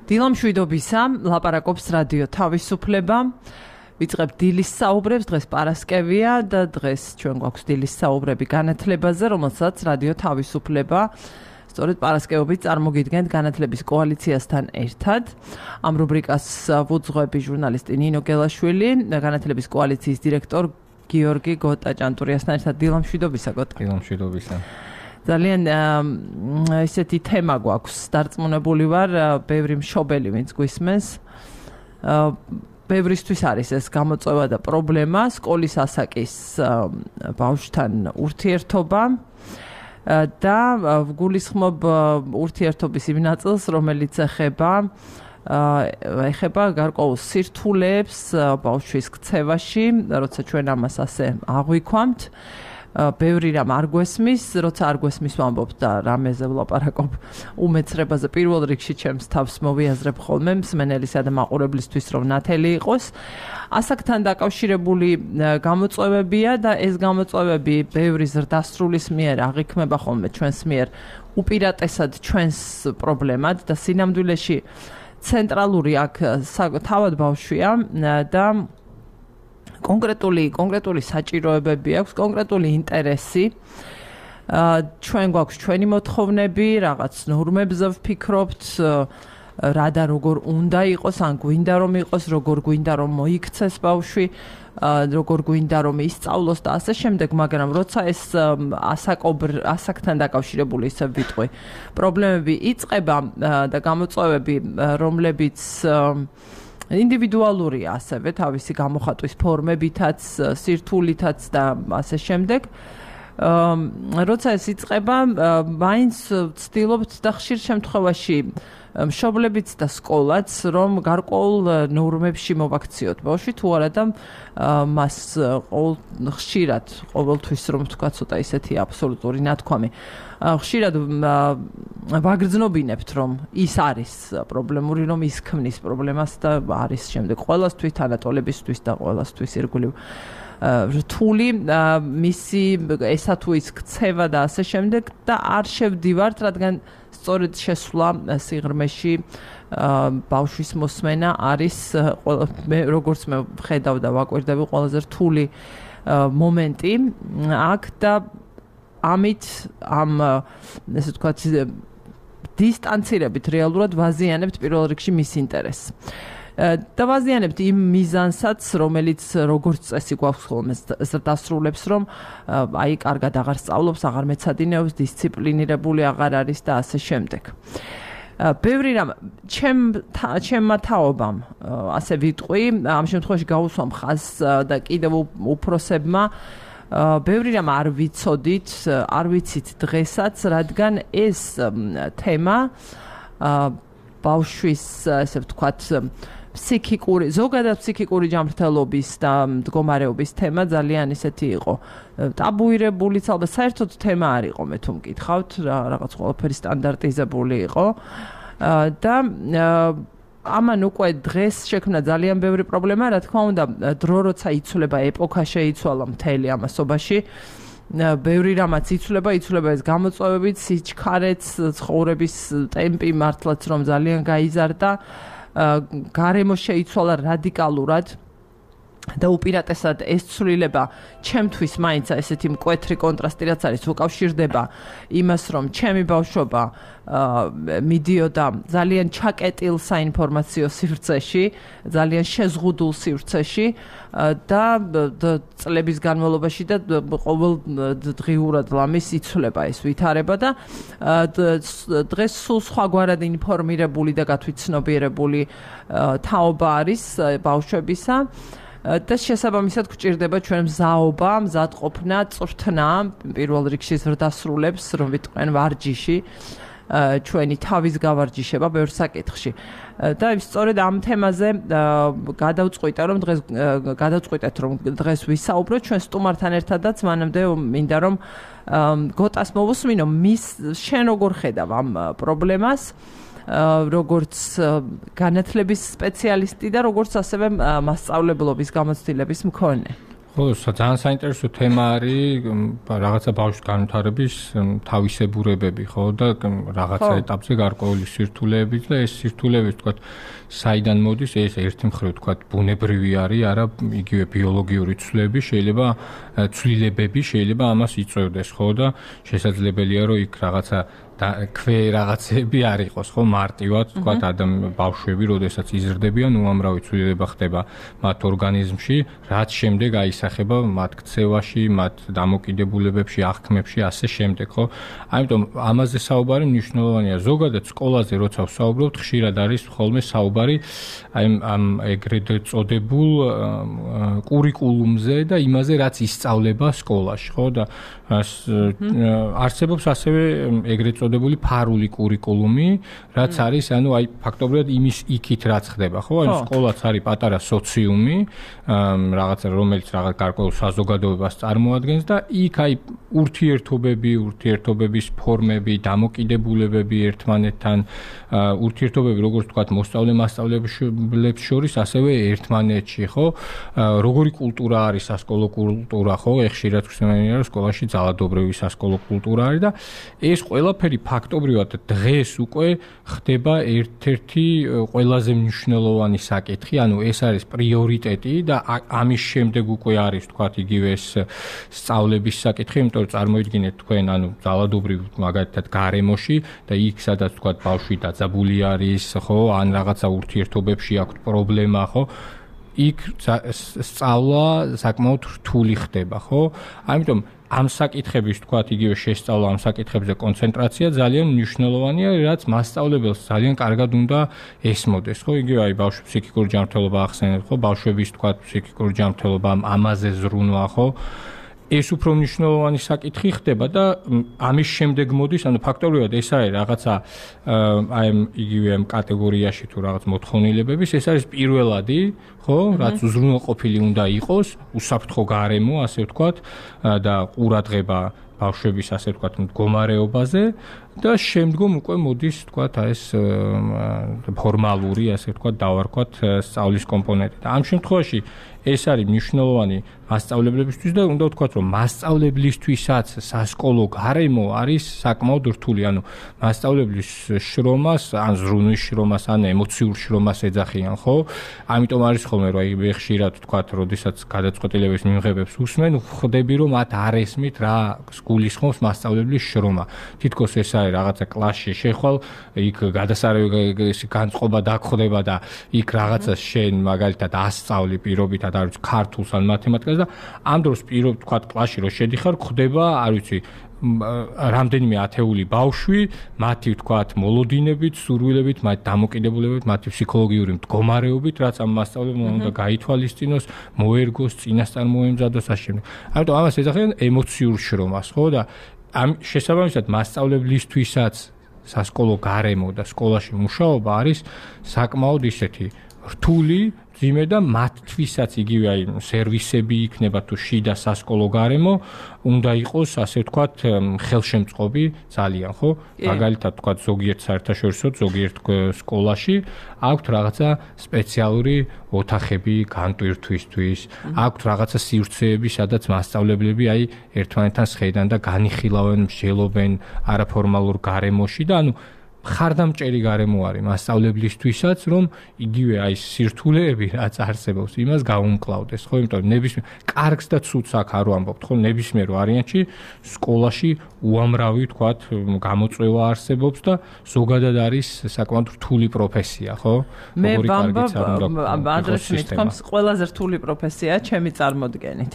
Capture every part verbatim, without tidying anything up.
დილამშვიდობისა, ლაპარაკობს რადიო თავისუფლება. ვიწყებთ დილის საუბრებს, დღეს პარასკევია და დღეს ჩვენ გვაქვს დილის საუბრები განათლებაზე, რომელსაც რადიო თავისუფლება სწორედ პარასკევობით წარმოგიდგენთ განათლების კოალიციასთან ერთად. ამ რუბრიკას ვუძღვები ჟურნალისტი ნინო გელაშვილი, განათლების კოალიციის დირექტორ გიორგი გოტა-ჭანტურიასთან ერთად. დილამშვიდობისა, გოტა. დილამშვიდობისა. ძალიან ესეთი თემა გვაქვს, დარწმუნებული ვარ, ბევრი მშობელი ვინც გვისმენს. ბევრისთვის არის ეს გამოწვევა და პრობლემა, სკოლის ასაკის ბავშვთან ურთიერთობა და ვგულისხმობ ურთიერთობის იმ ნაწილს, რომელიც ეხება ეხება გარკვეულ სირთულეებს ბავშვის ქცევაში, როცა ჩვენ ამას ასე აღვიქვამთ. ბევრი რამ არ გვესმის, როცა არ გვესმის ვამბობ და რამეზე ვლაპარაკობ უმეცრებაზე პირველ რიგში ჩემს თავს მოვიაზრებ ხოლმე მსმენელისა და მაყურებლისთვის რომ ნათელი იყოს. ასაკთან დაკავშირებული გამოწვევებია და ეს გამოწვევები ბევრი ზრდასრულის მიერ აღიქმება ხოლმე ჩვენს მიერ უპირატესად ჩვენს პრობლემად და სინამდვილეში ცენტრალური აქ თავად ბავშვია და კონკრეტული კონკრეტული საჭიროებები აქვს, კონკრეტული ინტერესი. ჩვენ გვაქვს ჩვენი მოთხოვნები, რაღაც ნორმებზე ვფიქრობთ, რა და როგორ უნდა იყოს, ან გვინდა რომ იყოს, როგორ გვინდა რომ მოიქცეს ბავშვი, როგორ გვინდა რომ ისწავლოს და ასე შემდეგ, მაგრამ როცა ეს ასაკობრ ასაკთან დაკავშირებული ისე ვიტყვი, პრობლემები იწყება და გამოწვევები, რომლებიც ინდივიდუალურია ასევე თავისი გამოხატვის ფორმებითაც, სირთულითაც და ასე შემდეგ. როცა ეს იწყება, მაინც ვცდილობთ და ხშირ შემთხვევაში მშობლებიც და სკოლაც რომ გარკვეულ ნორმებში მოვაქციოთ ბავშვი, თუ არა და მას ხშირად ყოველთვის რომ ვთქვა ცოტა ისეთი აბსოლუტური ნათქვამი. ხშირად ვაგრძნობინებთ რომ ის არის პრობლემური, რომ ის ქმნის პრობლემას და არის შემდეგ ყველასთვის, თანატოლებისთვის და ყველასთვის ირგვლივ რთული მისი ესა თუ ის ქცევა და ასე შემდეგ და არ შევდივართ, რადგან სწორედ შესვლა სიღრმეში ბავშვის მოსმენა არის მე როგორც მე ვხედავ და ვაკვირდები ყველაზე რთული მომენტი აქ და ამით ამ ესე ვთქვათ დისტანცირებით რეალურად ვაზიანებთ პირველ რიგში მის ინტერესს. და ვაზიანებთ იმ მიზანსაც, რომელიც როგორც წესი გვაქვს ხოლმე დასრულებს, რომ აი კარგად აღარ სწავლობს, აღარ მეცადინეობს, დისციპლინირებული აღარ არის და ასე შემდეგ. ბევრი რამ ჩემ ჩემმა თაობამ ასე ვიტყვი, ამ შემთხვევაში გაუსვამ ხაზს და კიდევ უფროსებმა ბევრი რამ არ ვიცოდით, არ ვიცით დღესაც, რადგან ეს თემა ბავშვის ესე ვთქვათ ფსიქიკური, ზოგადად ფსიქიკური ჯანმრთელობის და მდგომარეობის თემა ძალიან ისეთი იყო ტაბუირებულიც, ალბათ საერთოდ თემა არ იყო, მე თუ მკითხავთ, რაღაც ყველაფერი სტანდარტიზებული იყო და ამან უკვე დღეს შექმნა ძალიან ბევრი პრობლემა, რა თქმა უნდა, დრო როცა იცვლება, ეპოქა შეიცვალა მთელი ამასობაში. ბევრი რამაც იცვლება, იცვლება ეს გამოწვევებით, სიჩქარეც, ცხოვრების ტემპი მართლაც რომ ძალიან გაიზარდა, გარემო შეიცვალა რადიკალურად და უპირატესად ეს ცვლილება ჩემთვის მაინც ესეთი მკვეთრი კონტრასტი რაც არის, უკავშირდება იმას, რომ ჩემი ბავშვობა მიდიოდა ძალიან ჩაკეტილ საინფორმაციო სივრცეში, ძალიან შეზღუდულ სივრცეში და წლების განმავლობაში და ყოველ დღიურად ლამის იცვლება ეს ვითარება და დღეს სულ სხვაგვარად ინფორმირებული და გათვითცნობიერებული თაობა არის ბავშვებისა. და შესაბამისად გვჭირდება ჩვენ მზაობა, მზადყოფნა, წვრთნა, პირველ რიგში ზრდასრულებს, რომ ვიტყვენ ვარჯიში, ჩვენი თავის გავარჯიშება ბევრ საკითხში. და სწორედ ამ თემაზე გადავწყვიტე, რომ დღეს გადავწყვიტეთ, რომ დღეს ვისაუბროთ ჩვენ სტუმართან ერთადაც, მანამდე მინდა რომ გოტას მოვუსმინო, მის შენ როგორ ხედავ ამ პრობლემას? როგორც განათლების სპეციალისტი და როგორც ასევე მასწავლებლობის გამოცდილების მქონე. ხო, ძალიან საინტერესო თემა არის რაღაცა ბავშვის განვითარების თავისებურებები, ხო და რაღაცა ეტაპზე გარკვეული სირთულეები და ეს სირთულეები თქვათ საიდან მოდის, ეს ერთი მხრივ თქვათ ბუნებრივი არის, არა იგივე ბიოლოგიური ცვლილები, შეიძლება ცვლილებები შეიძლება ამას იწვევდეს, ხო და შესაძლებელია რომ იქ რაღაცა და ქვე რაღაცები არ იყოს, ხო, მარტივად თქვათ ადამიან ბავშვები, როდესაც იზრდებიან, უამრავი ცვლილება ხდება მათ ორგანიზმში, რაც შემდეგ აისახება მათ ქცევაში, მათ დამოკიდებულებებში, აღქმებში, ასე შემდეგ, ხო? ამიტომ ამაზე საუბარი მნიშვნელოვანია. ზოგადად სკოლაზე როცა ვსაუბრობთ, ხშირად არის ხოლმე საუბარი აი ამ ეგრეთ წოდებულ კურიკულუმზე და იმაზე, რაც ისწავლება სკოლაში, ხო? და არსებობს ასევე ეგრეთ წოდებული ფარული კურიკულუმი, რაც არის, ანუ აი ფაქტობრივად იმის იქით რაც ხდება, ხო? აი სკოლაც არის პატარა სოციუმი, რაღაცა რომელიც რაღაც გარკვეულ საზოგადოებას წარმოადგენს და იქ აი ურთიერთობები, ურთიერთობების ფორმები, დამოკიდებულებები ერთმანეთთან, ურთიერთობები, როგორც ვთქვათ, მოსწავლე-მასწავლებლებს შორის, ასევე ერთმანეთში, ხო? როგორი კულტურა არის სასკოლო კულტურა, ხო? ხშირად ხსენია, რომ სკოლაში ძალადობრივი სასკოლო კულტურა არის და ეს ყველაფერი ფაქტობრივად დღეს უკვე ხდება ერთ-ერთი ყველაზე მნიშვნელოვანი საკითხი, ანუ ეს არის პრიორიტეტი და ამის შემდეგ უკვე არის თქვათ იგივე ეს სწავლების საკითხი, იმიტომ რომ წარმოიდგინეთ თქვენ ანუ ძალადობრივ მაგალითად გარემოში და იქ სადაც თქვათ ბავშვი დაძაბული არის, ხო, ან რაღაცა ურთიერთობებში აქვს პრობლემა, ხო? იქ სწავლა საკმაოდ რთული ხდება, ხო? ამიტომ ამ საკითხების თქვათ იგივე შესწავლა, ამ საკითხებზე კონცენტრაცია ძალიან მნიშვნელოვანია, რაც მასწავლებელს ძალიან კარგად უნდა ესმოდეს, ხო? იგივე აი ბავშვის ფსიქიკური ჯანმრთელობა ახსენეთ, ხო? ბავშვების თქვათ ფსიქიკური ჯანმრთელობა, ამაზე ზრუნვა, ხო? ეს უფრო მნიშვნელოვანი საკითხი ხდება და ამის შემდეგ მოდის, ანუ ფაქტობრივად ეს არის რაღაცა აი იგივე ამ კატეგორიაში თუ რაღაც მოთხოვნილებების, ეს არის პირველადი, ხო, რაც უზრუნველყოფილი უნდა იყოს, უსაფრთხო გარემო, ასე ვთქვათ, და ყურადღება ბავშვების, ასე ვთქვათ, მდგომარეობაზე და შემდგომ უკვე მოდის, ვთქვათ, ეს ფორმალური, ასე ვთქვათ, დავარქვათ სწავლის კომპონენტი. და ამ შემთხვევაში ეს არის მნიშვნელოვანი მასწავლებლებისთვის და უნდა ვთქვათ, რომ მასწავლებლისთვისაც სასკოლო გარემო არის საკმაოდ რთული, ანუ მასწავლებლის შრომას, ან ზრუნვის შრომას, ან ემოციურ შრომას ეძახიან, ხო? ამიტომ არის ხოლმე, რომ აი ხშირად ვთქვათ, როდესაც გადაწყვეტილების მიმღებებს უსმენ, ხვდები, რომ მათ არ ესმით რა გულისხმობს მასწავლებლის შრომა. თითქოს ეს არის რაღაცა კლასში შეხვალ, იქ გადასარევი განწყობა დაგხვდება და იქ რაღაცას შენ მაგალითად ასწავლი პირობითად, არ ვიცი, ქართულს ან მათემატიკას და ამ დროს პირობ თქვათ კლასში რო შედიხარ, ხდება, არ ვიცი, რამდენიმე ათეული ბავშვი, მათი ვთქვათ მოლოდინებით, სურვილებით, მათ დამოკიდებულებებით, მათი ფსიქოლოგიური მდგომარეობით, რაც ამ მასწავლებელმა უნდა გაითვალისწინოს, მოერგოს, წინასწარ მოემზადოს ასე. ამიტომ ამას ეძახიან ემოციურ შრომას, ხო? და ამ შესაბამისად მასწავლებლისთვისაც სასკოლო გარემო და სკოლაში მუშაობა არის საკმაოდ ისეთი რთული, ძიმე და მათთვისაც იგივე აი სერვისები იქნება თუ შიდა სასკოლო გარემო უნდა იყოს, ასე ვთქვათ, ხელშემწყობი ძალიან, ხო? მაგალითად ვთქვათ, ზოგიერთ საერთაშორისო, ზოგიერთ სკოლაში აქვთ რაღაცა სპეციალური ოთახები განტვირთვისთვის, აქვთ რაღაცა სივრცეები, სადაც მასწავლებლები აი ერთმანეთთან შედან და განიხილავენ, მსჯელობენ არაფორმალურ გარემოში და ანუ ხარდამჭერი გარემო არის მასწავლებლისთვისაც, რომ იგივე აი სირთულეები რაც არსებობს, იმას გაუმკლავდეს, ხო? იმიტომ რომ ნებისმიერ კარგს და ცუდს აქ არ ვამბობთ, ხო? ნებისმიერ ვარიანტში სკოლაში უამრავი, ვთქვათ, გამოწვევა არსებობს და ზოგადად არის საკმაოდ რთული პროფესია, ხო? მე ვამბობ, ადრეს მithkoms, ყველაზე რთული პროფესია ჩემი წარმოდგენით.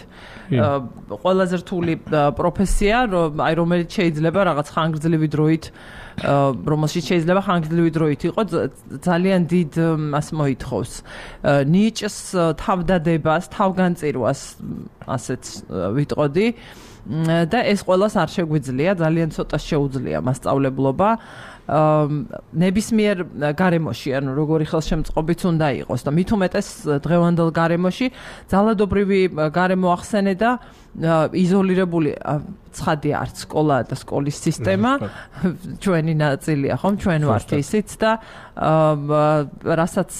ყველაზე რთული პროფესია, აი რომელიც შეიძლება რაღაც ხანგრძლივი დროით რომელშიც შეიძლება ხანგრძლივი დროით იყო ძალიან დიდ ასე მოითხოვს ნიჭს, თავდადებას, თავგანწირვას, ასეც ვიტყოდი და ეს ყველას არ შეგვიძლია, ძალიან ცოტა შეუძლია მასწავლებლობა ნებისმიერ გარემოში, ანუ როგორი ხელშემწყობიც უნდა იყოს და მით უმეტეს დღევანდელ გარემოში ძალადობრივი გარემო ახსენე და იზოლირებული ცხადია არც სკოლა და სკოლის სისტემა ჩვენი ნაწილია ხომ ჩვენ ვართ ისიც და რასაც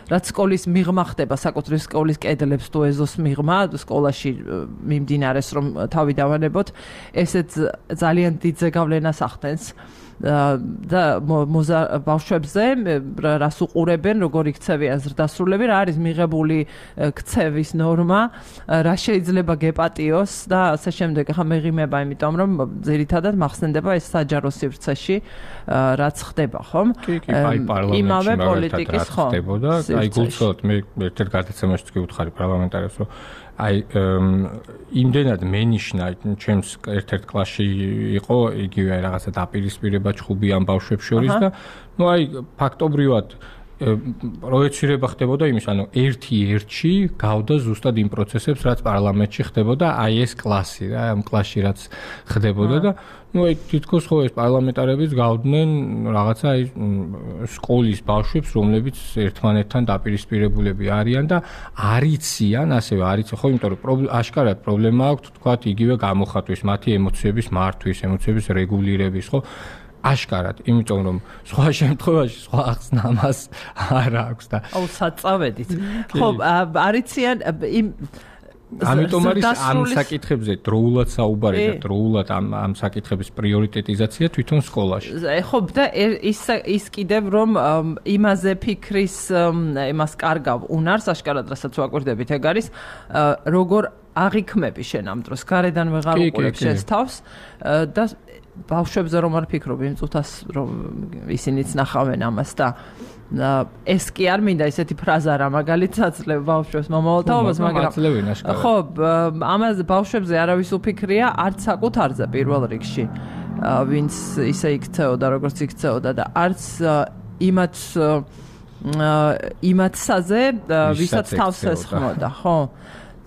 რაც სკოლის მიღმა ხდება საკუთრივ სკოლის კედლებს თუ ეზოს მიღმა სკოლაში მიმდინარეს რომ თავი დავანებოთ ესეც ძალიან დიდ ზეგავლენას ახდენს და ბავშვებზე რას უყურებენ როგორი ქცევიან ზრდასრულები რა არის მიღებული ქცევის ნორმა რა შეიძლება გეპატიოს და ასე შემდეგ ახლა მეღიმება იმიტომ რომ ძირითადად მახსენდება ეს საჯარო სივრცეში რაც ხდება ხომ იმავე პოლიტიკის ხომ ხდებოდა აი გულწრფელად მე ერთ-ერთ გადაცემაში გიუთხარი პარლამენტარებს რომ აი იმდენად მენიშნა ჩემს ერთ-ერთ კლასში იყო იგივე აი რაღაცა დაპირისპირება ჩხუბი ამ ბავშვებს შორის და ნუ აი ფაქტობრივად პროექცირება ხდებოდა იმის, ანუ ერთი ერთში გავდა ზუსტად იმ პროცესებს, რაც პარლამენტში ხდებოდა, აი ეს კლასი რა, ამ კლასში რაც ხდებოდა და ნუ აი თითქოს ხო ეს პარლამენტარებიც გავდნენ რაღაცა აი სკოლის ბავშვებს, რომლებიც ერთმანეთთან დაპირისპირებულები არიან და არიციან, ასევე არიციან, ხო, იმიტომ რომ აშკარად პრობლემა აქვს, თქვათ, იგივე გამოხატვის, მათი ემოციების მართვის, ემოციების რეგულირების, ხო? აშკარად, იმიტომ რომ სხვა შემთხვევაში სხვა ახსნა ამას არ აქვს და აუ საწავედით. ხო, არიციან იმ ამიტომ არის ამ საკითხებზე დროულად საუბარი და დროულად ამ ამ საკითხების პრიორიტეტიზაცია თვითონ სკოლაში. ხო, და ის ის კიდევ რომ იმაზე ფიქრის იმას კარგავ უნარს აშკარად რასაც ვაკვირდებით ეგ არის როგორ აღიქმები შენ ამ დროს გარედან ვეღარ უყურებ შენს თავს და ბავშვებზე რომ არ ფიქრობ იმ წუთას რომ ისინიც ნახავენ ამას და ეს კი არ მინდა ესეთი ფრაზა რა მაგალითად ძლევ ბავშვებს მომავალთაობას მაგრამ ხო ამაზე ბავშვებზე არავის უფიქრია არც საკუთარზე პირველ რიგში ვინც ისე იქცეოდა როგორც იქცეოდა და არც იმათ იმათსაზე ვისაც თავს ესხმოდა ხო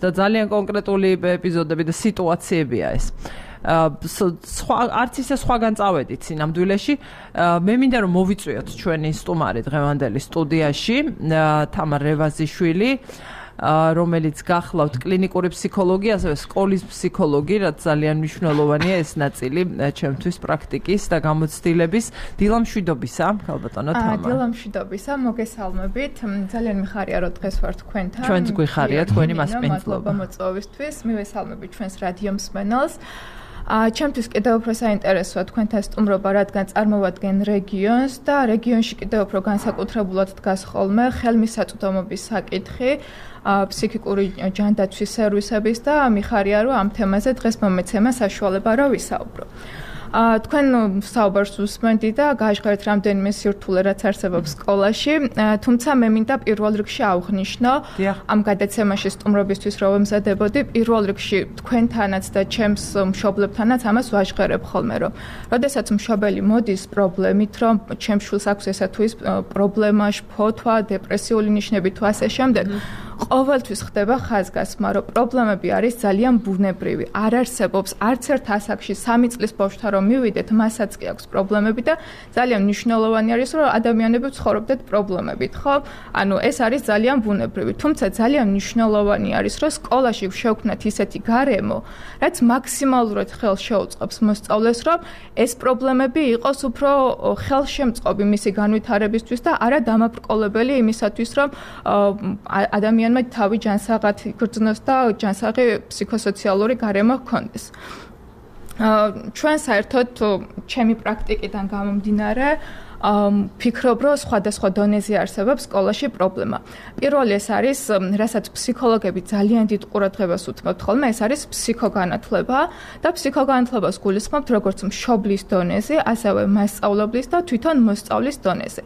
და ძალიან კონკრეტული ეპიზოდები და სიტუაციებია ეს სხვა არც ისე სხვაგან წავედით სინამდვილეში მე მინდა რომ მოვიწვიოთ ჩვენი სტუმარი დღევანდელი სტუდიაში თამარ რევაზიშვილი რომელიც გახლავთ კლინიკური ფსიქოლოგი, ასევე სკოლის ფსიქოლოგი, რაც ძალიან მნიშვნელოვანია ეს ნაწილი ჩემთვის პრაქტიკის და გამოცდილების. დილამშვიდობისა, ქალბატონო თამარ. აა, დილამშვიდობისა, მოგესალმებით. ძალიან მიხარია რომ დღეს ვარ თქვენთან. ჩვენც გვიხარია თქვენი მასპინძლობა. მადლობა მოწვევისთვის. მივესალმებით ჩვენს რადიო მსმენელს. აა, ჩემთვის კიდევ უფრო საინტერესოა თქვენთან სტუმრობა, რადგან წარმოვადგენ რეგიონს და რეგიონში კიდევ უფრო განსაკუთრებულად დგას ხოლმე ხელმისაწვდომობის საკითხი. ფსიქიკური ჯანდაცვის სერვისების და მიხარია რომ ამ თემაზე დღეს მომეცემა საშუალება რა ვისაუბრო. თქვენ საუბარს უსმენთ და გაჟღერთ რამდენიმე სირთულე რაც არსებობს სკოლაში, თუმცა მე მინდა პირველ რიგში აღვნიშნო ამ გადაცემაში სტუმრობისთვის რომ ვემზადებოდი, პირველ რიგში თქვენთანაც და ჩემს მშობლებთანაც ამას ვაჟღერებ ხოლმე რომ როდესაც მშობელი მოდის პრობლემით რომ ჩემს შვილს აქვს ესა თუ ის პრობლემა, შფოთვა, დეპრესიული ნიშნები თუ ასე შემდეგ ყოველთვის ხდება ხაზგასმა, რომ პრობლემები არის ძალიან ბუნებრივი. არ არსებობს არც ერთ ასაკში სამი წლის ბავშვთან რომ მივიდეთ, მასაც კი აქვს პრობლემები და ძალიან მნიშვნელოვანი არის, რომ ადამიანები ცხოვრობდეთ პრობლემებით, ხო? ანუ ეს არის ძალიან ბუნებრივი. თუმცა ძალიან მნიშვნელოვანი არის, რომ სკოლაში შევქმნათ ისეთი გარემო, რაც მაქსიმალურად ხელს შეუწყობს მოსწავლეს, რომ ეს პრობლემები იყოს უფრო ხელშემწყობი მისი განვითარებისთვის და არა დამაბრკოლებელი იმისათვის, რომ ადამიანი თავი ჯანსაღად იგრძნოს და ჯანსაღი ფსიქოსოციალური გარემო ჰქონდეს. ჩვენ საერთოდ ჩემი პრაქტიკიდან გამომდინარე ფიქრობ, რომ სხვადასხვა დონეზე არსებობს სკოლაში პრობლემა. პირველი ეს არის, რასაც ფსიქოლოგები ძალიან დიდ ყურადღებას უთმობთ ხოლმე, ეს არის ფსიქოგანათლება და ფსიქოგანათლებას გულისხმობთ როგორც მშობლის დონეზე, ასევე მასწავლებლის და თვითონ მოსწავლის დონეზე.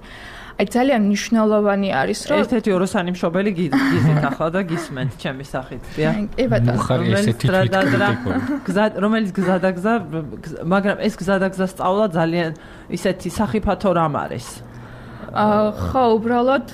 აი ძალიან მნიშვნელოვანი არის რომ ერთ-ერთი ოროსანი მშობელი გიზით ახლა და გისმენთ ჩემი სახით, დიახ. კი ბატონო. ხარი ესეთი გზა რომელიც გზადაგზა, მაგრამ ეს გზადაგზა სწავლა ძალიან ისეთი სახიფათო რამ არის. ხო, უბრალოდ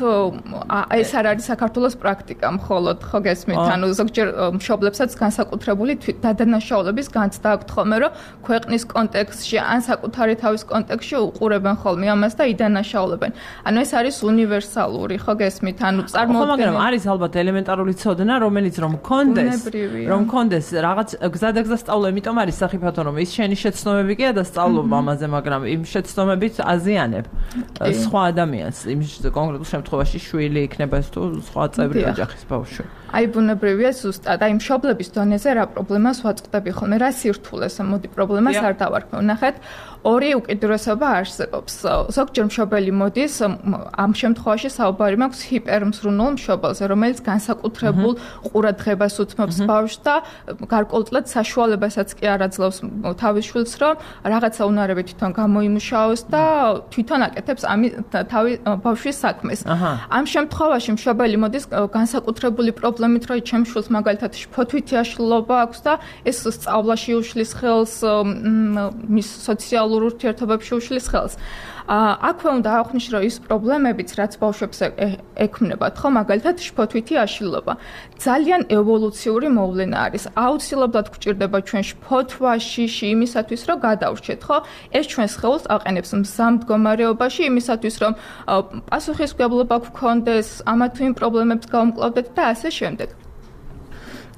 ეს არ არის საქართველოს პრაქტიკა, მხოლოდ ხო გესმით, ანუ ზოგჯერ მშობლებსაც განსაკუთრებული დადანაშაულების განცდა აქვთ ხოლმე, რომ ქვეყნის კონტექსტში ან საკუთარი თავის კონტექსტში უყურებენ ხოლმე ამას და იდანაშაულებენ. ანუ ეს არის უნივერსალური, ხო გესმით, ანუ წარმოუდგენელი. მაგრამ არის ალბათ ელემენტარული ცოდნა, რომელიც რომ მქონდეს, რომ მქონდეს რაღაც გზადაგზა სწავლა, იმიტომ არის სახიფათო, რომ ის შენი შეცდომები კი ადასწავლობ ამაზე, მაგრამ იმ შეცდომებით აზიანებ სხვა ადამიანს, იმ კონკრეტულ შემთხვევაში შვილი იქნება ეს თუ სხვა წევრი ოჯახის ბავშვი. აი ბუნებრივია ზუსტად, აი მშობლების დონეზე რა პრობლემას ვაწყდები ხოლმე, რა სირთულეს, მოდი პრობლემას არ დავარქმევ. ნახეთ, ორი უკიდურესობა არსებობს. ზოგჯერ მშობელი მოდის, ამ შემთხვევაში საუბარი მაქვს ჰიპერმზრუნულ მშობელზე, რომელიც განსაკუთრებულ ყურადღებას უთმობს ბავშვს და გარკვეულწილად საშუალებასაც კი არ აძლევს თავის შვილს, რომ რაღაცა უნარები თვითონ გამოიმუშაოს და თვითონ აკეთებს ამის თავის ბავშვის საქმეს. ამ შემთხვევაში მშობელი მოდის განსაკუთრებული პრობლემით, რომ ჩემს შვილს მაგალითად შფოთვითი აშლილობა აქვს და ეს სწავლაში უშლის ხელს, მის სოციალურ ურთიერთობებში უშლის ხელს. აქვე უნდა აღვნიშნო ის პრობლემებიც, რაც ბავშვებს ექმნებათ, ხო, მაგალითად შფოთვითი აშლილობა. ძალიან ევოლუციური მოვლენა არის. აუცილებლად გვჭირდება ჩვენ შფოთვა, შიში იმისათვის, რომ გადავრჩეთ, ხო? ეს ჩვენს სხეულს აყენებს მზამ მდგომარეობაში იმისათვის, რომ პასუხისმგებლობა გვქონდეს, ამა თუ იმ პრობლემებს გავუმკლავდეთ და ასე შემდეგ.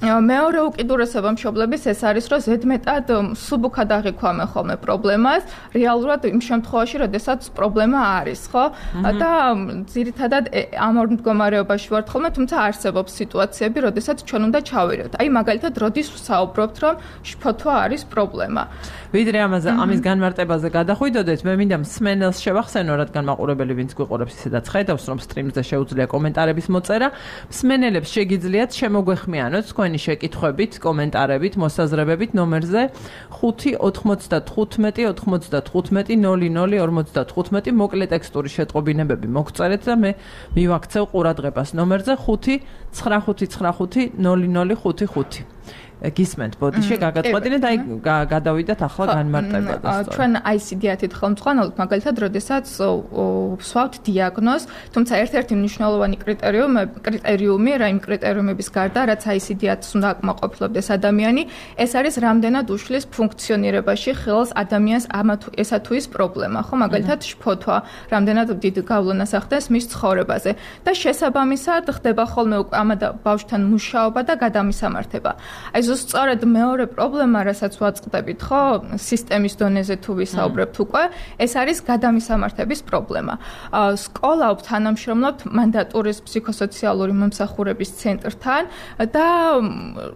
მეორე უკიდურესობა მშობლების ეს არის, რომ ზედმეტად სუბუქად აღიქვამენ ხოლმე პრობლემას, რეალურად იმ შემთხვევაში, როდესაც პრობლემა არის, ხო? და ძირითადად ამ ორ მდგომარეობაში ვართ ხოლმე, თუმცა არსებობს სიტუაციები, როდესაც ჩვენ უნდა ჩავირევთ. აი მაგალითად, როდის ვსაუბრობთ, რომ შფოთვა არის პრობლემა. ვიდრე ამაზე ამის განმარტებაზე გადახვიდოდეთ, მე მინდა მსმენელს შევახსენო, რადგან მაყურებელი ვინც გვიყურებს ისედაც ხედავს, რომ სტრიმზე შეუძლია კომენტარების მოწერა. მსმენელებს შეგიძლიათ შემოგვეხმიანოთ თქვენი შეკითხვებით, კომენტარებით, მოსაზრებებით ნომერზე ხუთი ოთხმოცდათხუთმეტი ოთხმოცდათხუთმეტი ნული ნული ორმოცდათხუთმეტი მოკლე ტექსტური შეტყობინებები მოგწერეთ და მე მივაქცევ ყურადღებას ნომერზე ხუთი ცხრახუთი ცხრახუთი ნული ნული ხუთი ხუთი. გისმენთ ბოდიში გაგაწყვეტინე და აი გადავიდეთ ახლა განმარტებაზე. ჩვენ აი ეს იდეათით ხელმძღვანელობთ, მაგალითად, როდესაც ვსვავთ დიაგნოზს, თუმცა ერთ-ერთი მნიშვნელოვანი კრიტერიუმი, კრიტერიუმი, რა იმ კრიტერიუმების გარდა, რაც აი ეს იდეათს უნდა აკმაყოფილებდეს ადამიანი, ეს არის რამდენად უშლის ფუნქციონირებაში ხელს ადამიანს ამა თუ ესა თუ ის პრობლემა, ხო, მაგალითად, შფოთვა, რამდენად დიდ გავლენას ახდენს მის ცხოვრებაზე და შესაბამისად ხდება ხოლმე ამ ბავშვთან მუშაობა და გადამისამართება. აი სწორედ მეორე პრობლემა, რასაც ვაწყდებით, ხო, სისტემის დონეზე თუ ვისაუბრებთ უკვე, ეს არის გადამისამართების პრობლემა. სკოლა თანამშრომლობთ მანდატურის ფსიქოსოციალური მომსახურების ცენტრთან და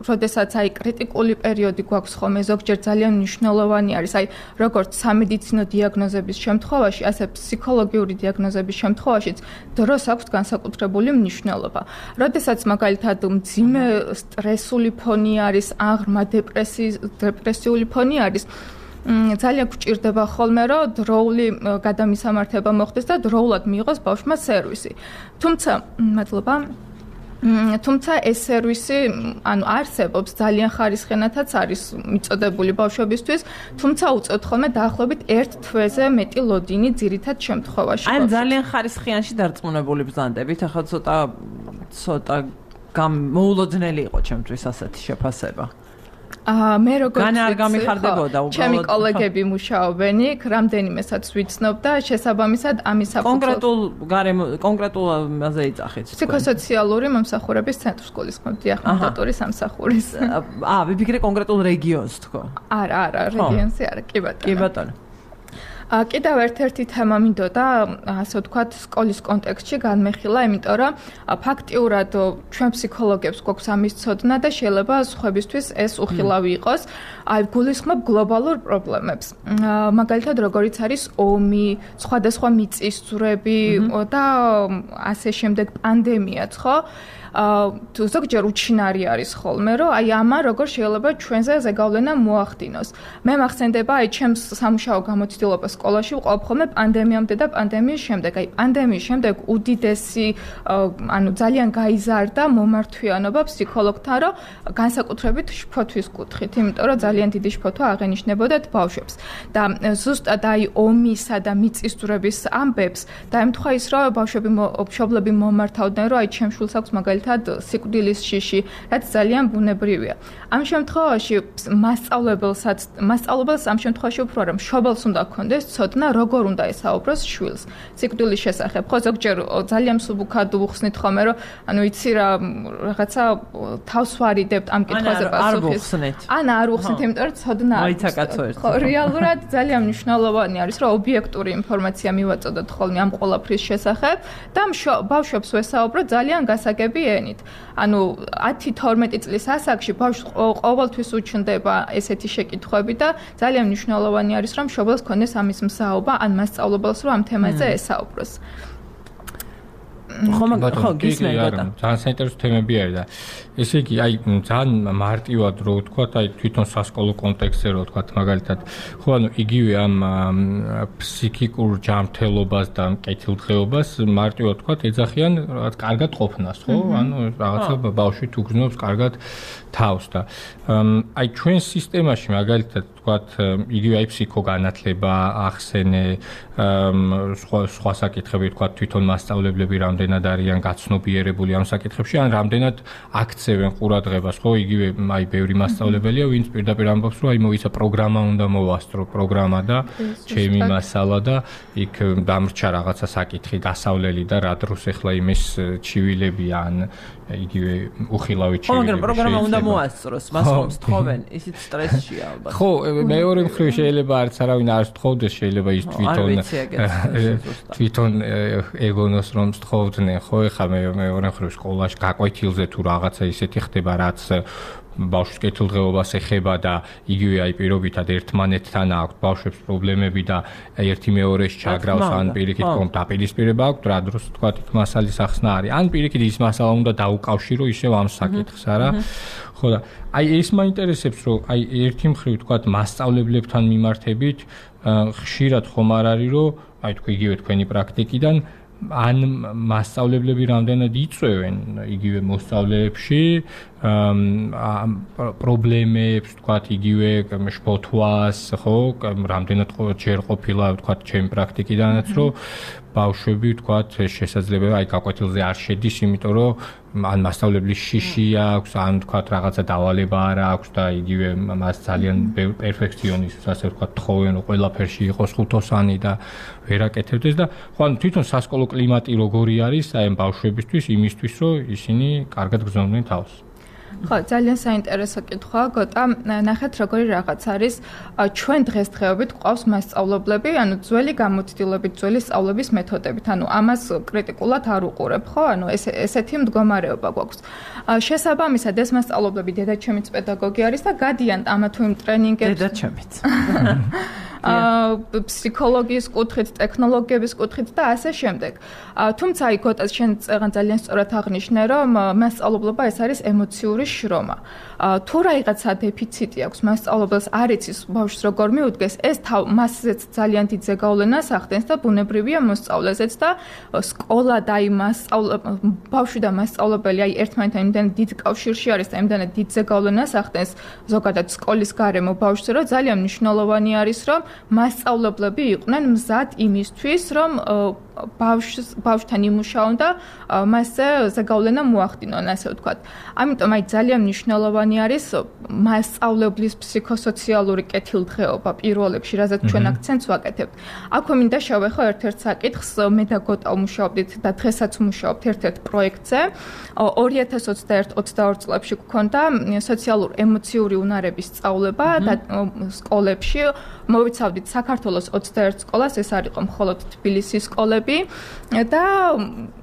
როდესაც აი კრიტიკული პერიოდი გვაქვს ხოლმე, ზოგჯერ ძალიან მნიშვნელოვანი არის, აი როგორც სამედიცინო დიაგნოზების შემთხვევაში, ასე ფსიქოლოგიური დიაგნოზების შემთხვევაშიც დროს აქვს განსაკუთრებული მნიშვნელობა. როდესაც მაგალითად მძიმე სტრესული ფონი არის, აღრმა დეპრესიული ფონი არის, ძალიან გვჭირდება ხოლმე, რომ დროული გადამისამართება მოხდეს და დროულად მიიღოს ბავშვმა სერვისი. თუმცა, მადლობა. თუმცა ეს სერვისი, ანუ არსებობს, ძალიან ხარისხიანადაც არის მიწოდებული ბავშვებისთვის, თუმცა უწევთ ხოლმე დაახლოებით ერთ თვეზე მეტი ლოდინი ძირითად შემთხვევაში. აი ძალიან ხარისხიანში დარწმუნებული ბრძანდებით, ახლა ცოტა ცოტა გამოულოდნელი იყო ჩემთვის ასეთი შეფასება. აა მე როგორც გან არ გამიხარდებოდა უბრალოდ. ჩემი კოლეგები მუშაობენ იქ, რამდენიმესაც ვიცნობ და შესაბამისად ამის საფუძველი კონკრეტულ გარემო კონკრეტულაზე იწახეთ. ფსიქოსოციალური მომსახურების ცენტრს გულისხმობდი ახმადატურის სამსახურის. აა ვიფიქრე კონკრეტულ რეგიონს თქო. არა, არა, რეგიონზე არა, კი ბატონო. კი ბატონო. კიდევ ერთ-ერთი თემა მინდოდა, ასე ვთქვათ, სკოლის კონტექსტში განმეხილა, იმიტომ რომ ფაქტიურად ჩვენ ფსიქოლოგებს გვაქვს ამის ცოდნა და შეიძლება სხვებისთვის ეს უხილავი იყოს. აი, გულისხმობ გლობალურ პრობლემებს. მაგალითად, როგორიც არის ომი, სხვადასხვა მიწისძვრები და ასე შემდეგ პანდემიაც, ხო? თუ ზოგჯერ უჩინარი არის ხოლმე, რომ აი ამან როგორ შეიძლება ჩვენზე ზეგავლენა მოახდინოს. მე მახსენდება აი ჩემს სამუშაო გამოცდილება სკოლაში ვყოფ ხოლმე პანდემიამდე და პანდემიის შემდეგ. აი პანდემიის შემდეგ უდიდესი ანუ ძალიან გაიზარდა მომართვიანობა ფსიქოლოგთან, რომ განსაკუთრებით შფოთვის კუთხით, იმიტომ რომ ძალიან დიდი შფოთვა აღენიშნებოდათ ბავშვებს. და ზუსტად აი ომისა და მიწისძვრების ამბებს დაემთხვა ის, რომ ბავშვები მშობლები მომართავდნენ, რომ აი ჩემ შვილს აქვს მაგალითად სიკვდილის შიში, რაც ძალიან ბუნებრივია. ამ შემთხვევაში მასწავლებელსაც მასწავლებელს ამ შემთხვევაში უფრო რა მშობელს უნდა ქონდეს ცოდნა, როგორ უნდა ესაუბროს შვილს სიკვდილის შესახებ. ხო, ზოგჯერ ძალიან მსუბუქად უხსნით ხოლმე, რომ ანუ იცი რა რაღაცა თავს ვარიდებთ ამ კითხვაზე პასუხის. ან არ უხსნით, იმიტომ რომ ცოდნა არის. ხო, რეალურად ძალიან მნიშვნელოვანი არის, რომ ობიექტური ინფორმაცია მივაწოდოთ ხოლმე ამ ყველაფრის შესახებ და ბავშვებს ვესაუბრო ძალიან გასაგები ენით. ანუ ათი თორმეტი წლის ასაკში ბავშვს ყოველთვის უჩნდება ესეთი შეკითხვები და ძალიან მნიშვნელოვანი არის, რომ მშობელს ქონდეს ამის მსაუბა, ან მასწავლებელს რომ ამ თემაზე ესაუბროს. ხო, ხო, გისმენთ. ძალიან საინტერესო თემები არის და ესე იგი, აი, ძალიან მარტივად რო ვთქვათ, აი, თვითონ სასკოლო კონტექსტზე რო ვთქვათ, მაგალითად, ხო, ანუ იგივე ამ ფსიქიკურ ჯანმრთელობას და კეთილდღეობას მარტივად ვთქვათ, ეძახიან რაღაც კარგად ყოფნას, ხო? ანუ რაღაცა ბავშვი თუ გრძნობს კარგად თავს და აი, ჩვენ სისტემაში მაგალითად ვთქვათ, იგივე აი ფსიქოგანათლება, ახსენე, სხვა სხვა საკითხები ვთქვათ, თვითონ მასწავლებლები რამდენად არიან გაცნობიერებული ამ საკითხებში, ან რამდენად აქცევენ ყურადღებას, ხო, იგივე აი ბევრი მასწავლებელია, ვინც პირდაპირ ამბობს, რომ აი მოიცა პროგრამა უნდა მოვასწრო, პროგრამა და ჩემი მასალა და იქ დამრჩა რაღაცა საკითხი, გასავლელი და რა დროს ახლა იმის ჩივილები ან იგივე უხილავი ჩივილები. ხო, მაგრამ პროგრამა უნდა მოასწროს, მას ხომ თხოვენ, ისიც სტრესშია ალბათ. ხო, მეორე მხრივ შეიძლება არც არავინ არ თხოვდეს, შეიძლება ის თვითონ თვითონ ეგონოს რომ თხოვდნენ, ხო, ეხლა მეორე მხრივ სკოლაში გაკვეთილზე თუ რაღაცა ისეთი ხდება, რაც ბავშვის კეთილდღეობას ეხება და იგივე აი პირობითად ერთმანეთთან აქვს ბავშვებს პრობლემები და ერთი მეორეს ჩაგრავს, ან პირიქით რომ დაპირისპირება აქვს, რა დროს თქვა იქ მასალის ახსნა არის, ან პირიქით ის მასალა უნდა დაუკავშირო ისევ ამ საკითხს, არა? ხო და აი ეს მაინტერესებს, რომ აი ერთი მხრივ თქვა მასწავლებლებთან მიმართებით ხშირად ხომ არ არის, რომ აი თქვი იგივე თქვენი პრაქტიკიდან ან მასწავლებლები რამდენად იწვევენ იგივე მოსწავლეებში პრობლემებს, თქვათ, იგივე შფოთვას, ხო, რამდენად ჯერ ყოფილა, თქვათ, ჩემი პრაქტიკიდანაც, რომ ბავშვები, თქვათ, შესაძლებელი აი გაკვეთილზე არ შედის, იმიტომ რომ ან მასწავლებლის შიში აქვს, ან თქვათ, რაღაცა დავალება არ აქვს და იგივე მას ძალიან პერფექციონიზმს, ასე ვთქვათ, თხოვენ, რომ ყველაფერში იყოს ხუთოსანი და ვერ აკეთებდეს და ხო, ანუ თვითონ სასკოლო კლიმატი როგორი არის აი ამ ბავშვებისთვის, იმისთვის, რომ ისინი კარგად გრძნობდნენ თავს. ხო, ძალიან საინტერესო კითხვაა, გოტა. ნახეთ, როგორი რაღაც არის. ჩვენ დღესდღეობით გვყავს მასწავლებლები, ანუ ძველი გამოცდილებით, ძველი სწავლების მეთოდებით. ანუ ამას კრიტიკულად არ უყურებ, ხო? ანუ ეს ესეთი მდგომარეობა გვაქვს. შესაბამისად, ეს მასწავლებლები დედაჩემიც პედაგოგი არის და გადიან ამა თუ იმ ტრენინგებს. დედაჩემიც. ფსიქოლოგიის კუთხით, ტექნოლოგიების კუთხით და ასე შემდეგ. თუმცა აი გოტას შენ ძალიან სწორად აღნიშნე, რომ მასწავლებლობა ეს არის ემოციური შრომა. თუ რაღაცა დეფიციტი აქვს მასწავლებელს, არ იცის ბავშვს როგორ მიუდგეს, ეს მასზეც ძალიან დიდ ზეგავლენას ახდენს და ბუნებრივია მოსწავლეზეც და სკოლა და აი ბავშვი და მასწავლებელი აი ერთმანეთთან იმდენად დიდ კავშირში არის და იმდენად დიდ ზეგავლენას ახდენს ზოგადად სკოლის გარემო ბავშვზე, რომ ძალიან მნიშვნელოვანი არის, რომ მასწავლებლები იყვნენ მზად იმისთვის, რომ ბავშვს ბავშვთან იმუშაონ და მასზე ზეგავლენა მოახდინონ, ასე ვთქვათ. ამიტომ აი ძალიან მნიშვნელოვანი არის მასწავლებლის ფსიქოსოციალური კეთილდღეობა პირველ რიგში, რაზეც ჩვენ აქცენტს ვაკეთებთ. აქვე მინდა შევეხო ერთ-ერთ საკითხს, მე და გოტა ვმუშაობდით და დღესაც ვმუშაობთ ერთ-ერთ პროექტზე. ორი ათას ოცდაერთი ოცდაორი წლებში გქონდა სოციალურ-ემოციური უნარების სწავლება და სკოლებში მოვიცავდით საქართველოს ოცდაერთ სკოლას, ეს არ იყო მხოლოდ თბილისის სკოლები წლები და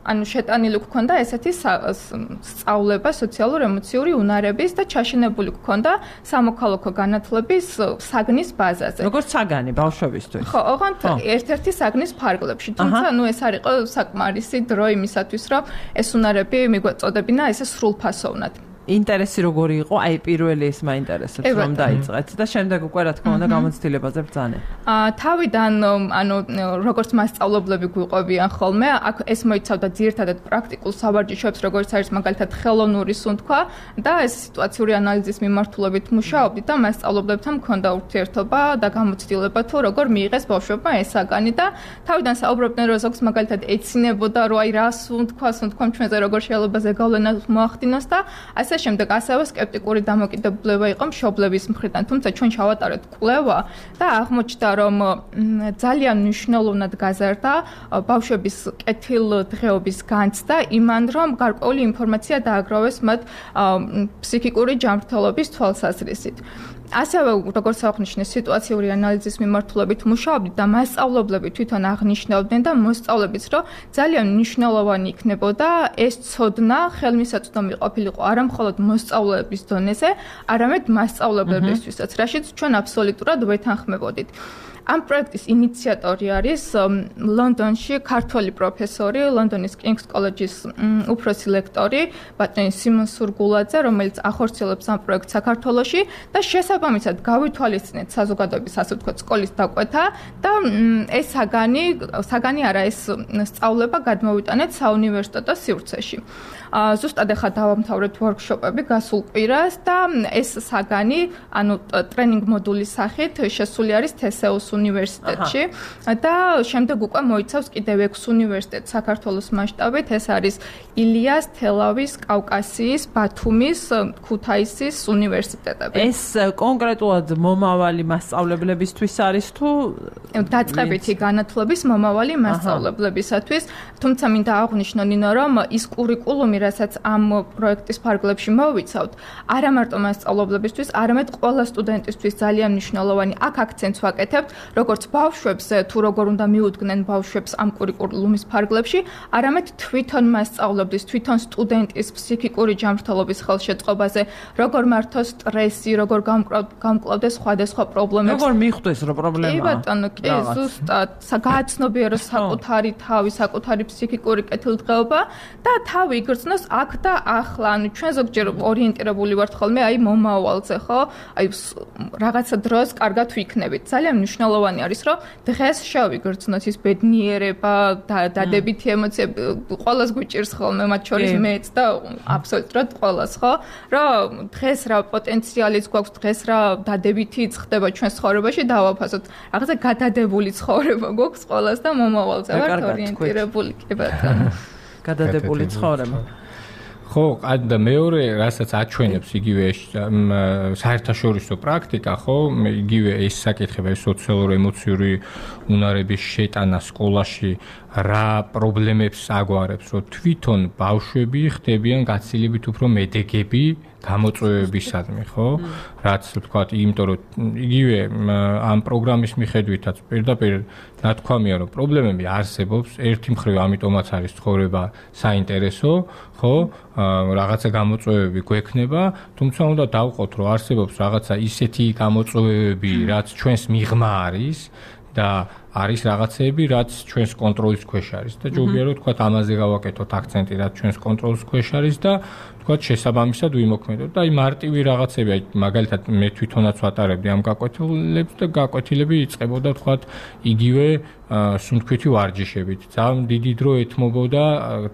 ანუ შეტანილი გქონდა ესეთი სწავლება სოციალურ ემოციური უნარების და ჩაშენებული გქონდა სამოქალაქო განათლების საგნის ბაზაზე. როგორც საგანი ბავშვებისთვის. ხო, ოღონდ ერთ-ერთი საგნის ფარგლებში. თუმცა ნუ ეს არ იყო საკმარისი დრო იმისათვის, რომ ეს უნარები მიგვეწოდებინა ესე სრულფასოვნად. ინტერესი როგორი იყო? აი პირველი ის მაინტერესებს რომ დაიწყეთ და შემდეგ უკვე რა თქმა უნდა გამოცდილებაზე ბრძაնել. აა თავიდან ანუ როგორც მასწავლებლები გვიყვებიან ხოლმე, აქ ეს მოიცავდა ძირითადად პრაქტიკულ სავარჯიშოებს, როგორც არის მაგალითად ხელოვნური სუნთქვა და ეს სიტუაციური ანალიზის მიმართულებით მუშაობდით და მასწავლებლებთან მქონდა ურთიერთობა და გამოცდილება თუ როგორ მიიღეს ბავშვებმა ეს საგანი და თავიდან საუბრობდნენ რომ ზოგს მაგალითად ეცინებოდა რომ აი რა სუნთქვა, სუნთქვამ ჩვენზე როგორ შეიძლება ზეგავლენა მოახდინოს და ასე შემდეგ ასევე სკეპტიკური დამოკიდებულება იყო მშობლების მხრიდან, თუმცა ჩვენ ჩავატარეთ კვლევა და აღმოჩნდა, რომ ძალიან მნიშვნელოვნად გაზარდა ბავშვების კეთილდღეობის განცდა იმან, რომ გარკვეული ინფორმაცია დააგროვეს მათ ფსიქიკური ჯანმრთელობის თვალსაზრისით. ასევე როგორც აღნიშნე სიტუაციური ანალიზის მიმართულებით მუშაობდით და მასწავლებლები თვითონ აღნიშნავდნენ და მოსწავლებიც რომ ძალიან მნიშვნელოვანი იქნებოდა ეს ცოდნა ხელმისაწვდომი ყოფილიყო არა მხოლოდ მოსწავლეების დონეზე, არამედ მასწავლებლებისთვისაც, რაშიც ჩვენ აბსოლუტურად ვეთანხმებოდით. ამ პროექტის ინიციატორი არის ლონდონში ქართველი პროფესორი, ლონდონის King's College-ის უფროსი ლექტორი, ბატონი სიმონ სურგულაძე, რომელიც ახორციელებს ამ პროექტს საქართველოში და შესაბამისად გავითვალისწინეთ საზოგადოების ასე ვთქვათ სკოლის დაკვეთა და ეს საგანი, საგანი არა ეს სწავლება გადმოვიტანეთ საუნივერსიტეტო სივრცეში. ზუსტად ახლა დავამთავრეთ ვორქშოპები გასულ კვირას და ეს საგანი, ანუ ტრენინგ მოდულის სახით შესული არის თესეუს უნივერსიტეტში და შემდეგ უკვე მოიცავს კიდევ ექვს უნივერსიტეტს საქართველოს მასშტაბით, ეს არის ილიას, თელავის, კავკასიის, ბათუმის, ქუთაისის უნივერსიტეტები. ეს კონკრეტულად მომავალი მასწავლებლებისთვის არის თუ დაწყებითი განათლების მომავალი მასწავლებლებისათვის, თუმცა მინდა აღვნიშნო ნინო, რომ ის კურიკულუმი რასაც ამ პროექტის ფარგლებში მოვიცავთ, არა მარტო მასწავლებლებისთვის, არამედ ყველა სტუდენტისთვის ძალიან მნიშვნელოვანი. აქ აქცენტს ვაკეთებთ, როგორც ბავშვებს, თუ როგორ უნდა მიუდგნენ ბავშვებს ამ კურიკულუმის ფარგლებში, არამედ თვითონ მასწავლებლის, თვითონ სტუდენტის ფსიქიკური ჯანმრთელობის ხელშეწყობაზე, როგორ მართოს სტრესი, როგორ გამკლავდეს სხვადასხვა პრობლემებს. როგორ მიხვდეს რა პრობლემაა? კი ბატონო, კი, ზუსტად, გააცნობიეროს საკუთარი თავი, საკუთარი ფსიქიკური კეთილდღეობა და თავი იგრძნოს აქ და ახლა, ანუ ჩვენ ზოგჯერ ორიენტირებული ვართ ხოლმე აი მომავალზე, ხო? აი რაღაცა დროს კარგად ვიქნებით. ძალიან მნიშვნელოვანი არის, რომ დღეს შევიგრძნოთ ის ბედნიერება და დადებითი ემოციები, ყველას გვიჭირს ხოლმე, მათ შორის მეც და აბსოლუტურად ყველას, ხო? რომ დღეს რა პოტენციალიც გვაქვს, დღეს რა დადებითი ხდება ჩვენს ცხოვრებაში, დავაფასოთ. რაღაცა გადადებული ცხოვრება გვაქვს ყველას და მომავალზე ვართ ორიენტირებული, კი ბატონო. გადადებული ცხოვრება. ხო, და მეორე, რასაც აჩვენებს იგივე საერთაშორისო პრაქტიკა, ხო, იგივე ეს საკითხები, სოციალურ-ემოციური უნარების შეტანა სკოლაში რა პრობლემებს აგვარებს, რომ თვითონ ბავშვები ხდებიან გაცილებით უფრო მედეგები გამოწვევებისადმი, ხო? რაც ვთქვათ, იმიტომ რომ იგივე ამ პროგრამის მიხედვითაც პირდაპირ ნათქვამია, რომ პრობლემები არსებობს, ერთი მხრივ ამიტომაც არის ცხოვრება საინტერესო, ხო? რაღაცა გამოწვევები გვექნება, თუმცა უნდა დავყოთ, რომ არსებობს რაღაცა ისეთი გამოწვევები, რაც ჩვენს მიღმა არის და არის რაღაცეები, რაც ჩვენს კონტროლის ქვეშ არის და ჯობია რომ თქვათ ამაზე გავაკეთოთ აქცენტი, რაც ჩვენს კონტროლის ქვეშ არის და თქვათ შესაბამისად ვიმოქმედოთ და აი მარტივი რაღაცები, აი მაგალითად მე თვითონაც ვატარებდი ამ გაკვეთილებს და გაკვეთილები იწყებოდა თქვათ იგივე სუნთქვითი ვარჯიშებით. ძალიან დიდი დრო ეთმობოდა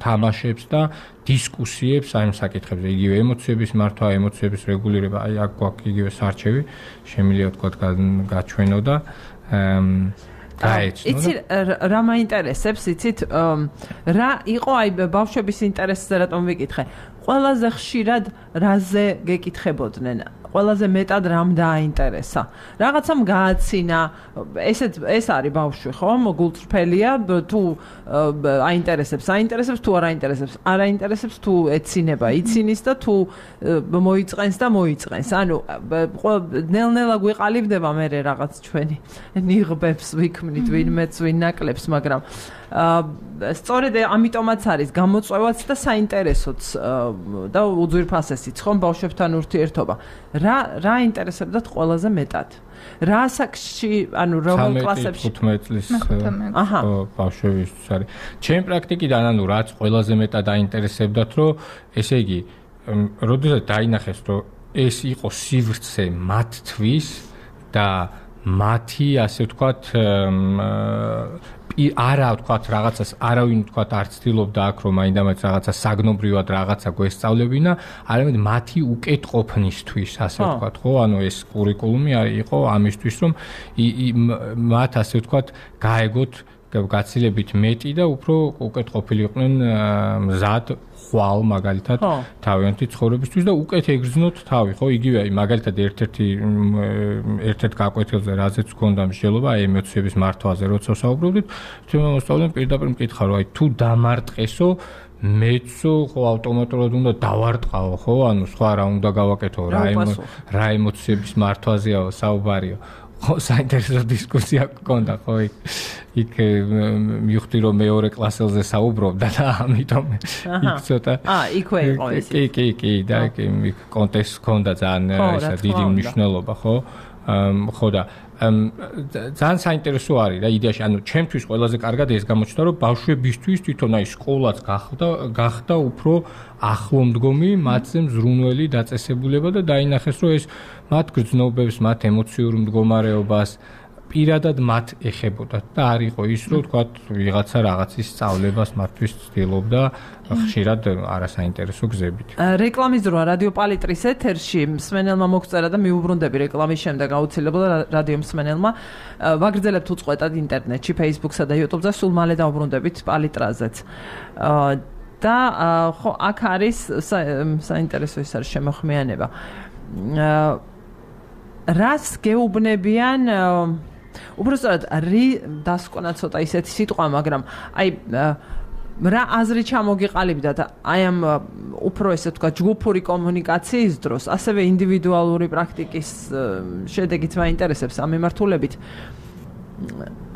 თამაშებს და დისკუსიებს აი ამ საკითხებზე, იგივე ემოციების მართვა, ემოციების რეგულირება, აი აქ გვაქვს იგივე სარჩევი, შემიძლია თქვათ გაჩვენო და იცი რა მაინტერესებს, იცით რა იყო აი ბავშვების ინტერესზე რატომ ვიკითხე? ყველაზე ხშირად რაზე გეკითხებოდნენ? ყველაზე მეტად რამ დააინტერესა. რაღაცამ გააცინა, ესეც ეს არის ბავშვი, ხო? გულწრფელია, თუ აინტერესებს, აინტერესებს, თუ არ აინტერესებს, არ აინტერესებს, თუ ეცინება, იცინის და თუ მოიწყენს და მოიწყენს. ანუ ნელ-ნელა გვიყალიბდება მე რაღაც ჩვენი ნიღბებს ვიქმნით, ვინმეც ვინ ნაკლებს, მაგრამ სწორედ ამიტომაც არის გამოწვევაც და საინტერესოც და უძვირფასესიც ხომ ბავშვებთან ურთიერთობა. რა რა ინტერესებდათ ყველაზე მეტად? რა საკში, ანუ რომელ კლასებში? თხუთმეტ წლის ბავშვებისთვის არის. ჩემ პრაქტიკიდან ანუ რაც ყველაზე მეტად აინტერესებდათ, რომ ესე იგი, როდესაც დაინახეს, რომ ეს იყო სივრცე მათთვის და მათი, ასე ვთქვათ, არა ვთქვათ რაღაცას არავინ ვთქვათ არ ცდილობდა აქ რომ მაინდამაც რაღაცა საგნობრივად რაღაცა გვესწავლებინა, არამედ მათი უკეთყოფნისთვის, ასე ვთქვათ, ხო? ანუ ეს კურიკულუმი იყო ამისთვის, რომ მათ ასე ვთქვათ გაეგოთ გაცილებით მეტი და უფრო უკეთყოფილიყვნენ მზად ხვალ მაგალითად თავიანთი ცხოვრებისთვის და უკეთ ეგრძნოთ თავი, ხო? იგივე მაგალითად ერთ-ერთი ერთ-ერთ გაკვეთილზე რაზეც გქონდა მსჯელობა ემოციების მართვაზე, როცა ვსაუბრობდით, თვითონ მოსწავლემ პირდაპირ მკითხა, რომ აი თუ დამარტყესო მეცო ხო ავტომატურად უნდა დავარტყაო, ხო? ანუ სხვა რა უნდა გავაკეთო, რა რა ემოციების მართვაზეა საუბარიო. ხო, საინტერესო დისკუსია გქონდა, ხო, იქ იქ მივხვდი რომ მეორე კლასელზე საუბრობდა და ამიტომ იქ ცოტა აა, იქვე იყო ეს. კი, კი, კი, და იქ კონტექსტ გქონდა ძალიან ისა დიდი მნიშვნელობა, ხო? ხო და ძალიან საინტერესო არის რა იდეაში, ანუ ჩემთვის ყველაზე კარგად ეს გამოჩნდა, რომ ბავშვებისთვის თვითონ აი სკოლაც გახდა გახდა უფრო ახლომდგომი, მათზე მზრუნველი დაწესებულება და დაინახეს, რომ ეს მათ გრძნობებს, მათ ემოციურ მდგომარეობას პირადად მათ ეხებოდა და არ იყო ის, რომ თქვათ ვიღაცა რაღაცის სწავლებას მათთვის ცდილობდა ხშირად არასაინტერესო გზებით. რეკლამის დროა რადიო პალიტრის ეთერში მსმენელმა მოგწერა და მიუბრუნდები რეკლამის შემდეგ აუცილებლად რადიო მსმენელმა ვაგრძელებთ უწყვეტად ინტერნეტში, Facebook-სა და YouTube-ზე, სულ მალე დავუბრუნდებით პალიტრაზეც. და ხო აქ არის საინტერესო ის არის შემოხმიანება. რას გეუბნებიან უბრალოდ რი დასკვნა ცოტა ისეთი სიტყვა, მაგრამ აი რა აზრი ჩამოგიყალიბდა და აი ამ უფრო ესე თქვა ჯგუფური კომუნიკაციის დროს, ასევე ინდივიდუალური პრაქტიკის შედეგით მაინტერესებს ამ მიმართულებით.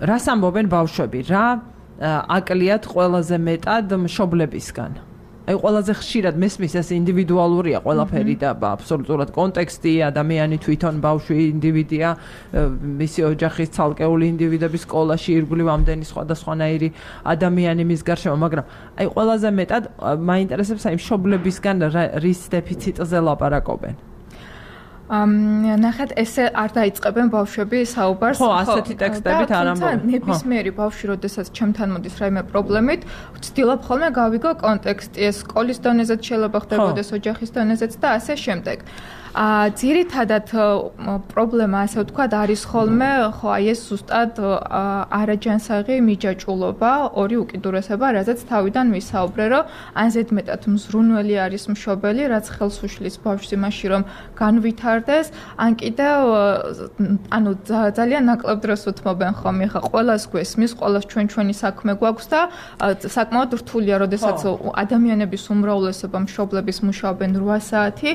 რას ამბობენ ბავშვები, რა აკლიათ ყველაზე მეტად მშობლებისგან? აი ყველაზე ხშირად მესმის ეს ინდივიდუალურია ყველაფერი და აბსოლუტურად კონტექსტი, ადამიანი თვითონ ბავშვი ინდივიდია, მისი ოჯახის ცალკეული ინდივიდები სკოლაში, ირგვლივ ამდენი სხვადასხვანაირი ადამიანი მის გარშემო, მაგრამ აი ყველაზე მეტად მაინტერესებს აი მშობლებისგან რის დეფიციტზე ლაპარაკობენ. ნახეთ, ესე არ დაიწყებენ ბავშვები საუბარს. ხო, ასეთი ტექსტებით არ ამბობენ. თუმცა ნებისმიერი ბავშვი, როდესაც ჩემთან მოდის რაიმე პრობლემით, ვცდილობ ხოლმე გავიგო კონტექსტი, ეს სკოლის დონეზეც შეიძლება ხდებოდეს, ოჯახის დონეზეც და ასე შემდეგ. აა ძირითადად პრობლემა, ასე ვთქვათ, არის ხოლმე, ხო, აი ეს ზუსტად არაჯანსაღი მიჯაჭულობა, ორი უკიდურესება, რაზეც თავიდან ვისაუბრე, რომ ან ზედმეტად მზრუნველი არის მშობელი, რაც ხელს უშლის ბავშვს იმაში, რომ განვითარდეს, ან კიდევ ანუ ძალიან ნაკლებ დროს უთმობენ ხოლმე, ხა ყველას გვესმის, ყველას ჩვენ ჩვენი საქმე გვაქვს და საკმაოდ რთულია, როდესაც ადამიანების უმრავლესობა მშობლების მუშაობენ რვა საათი,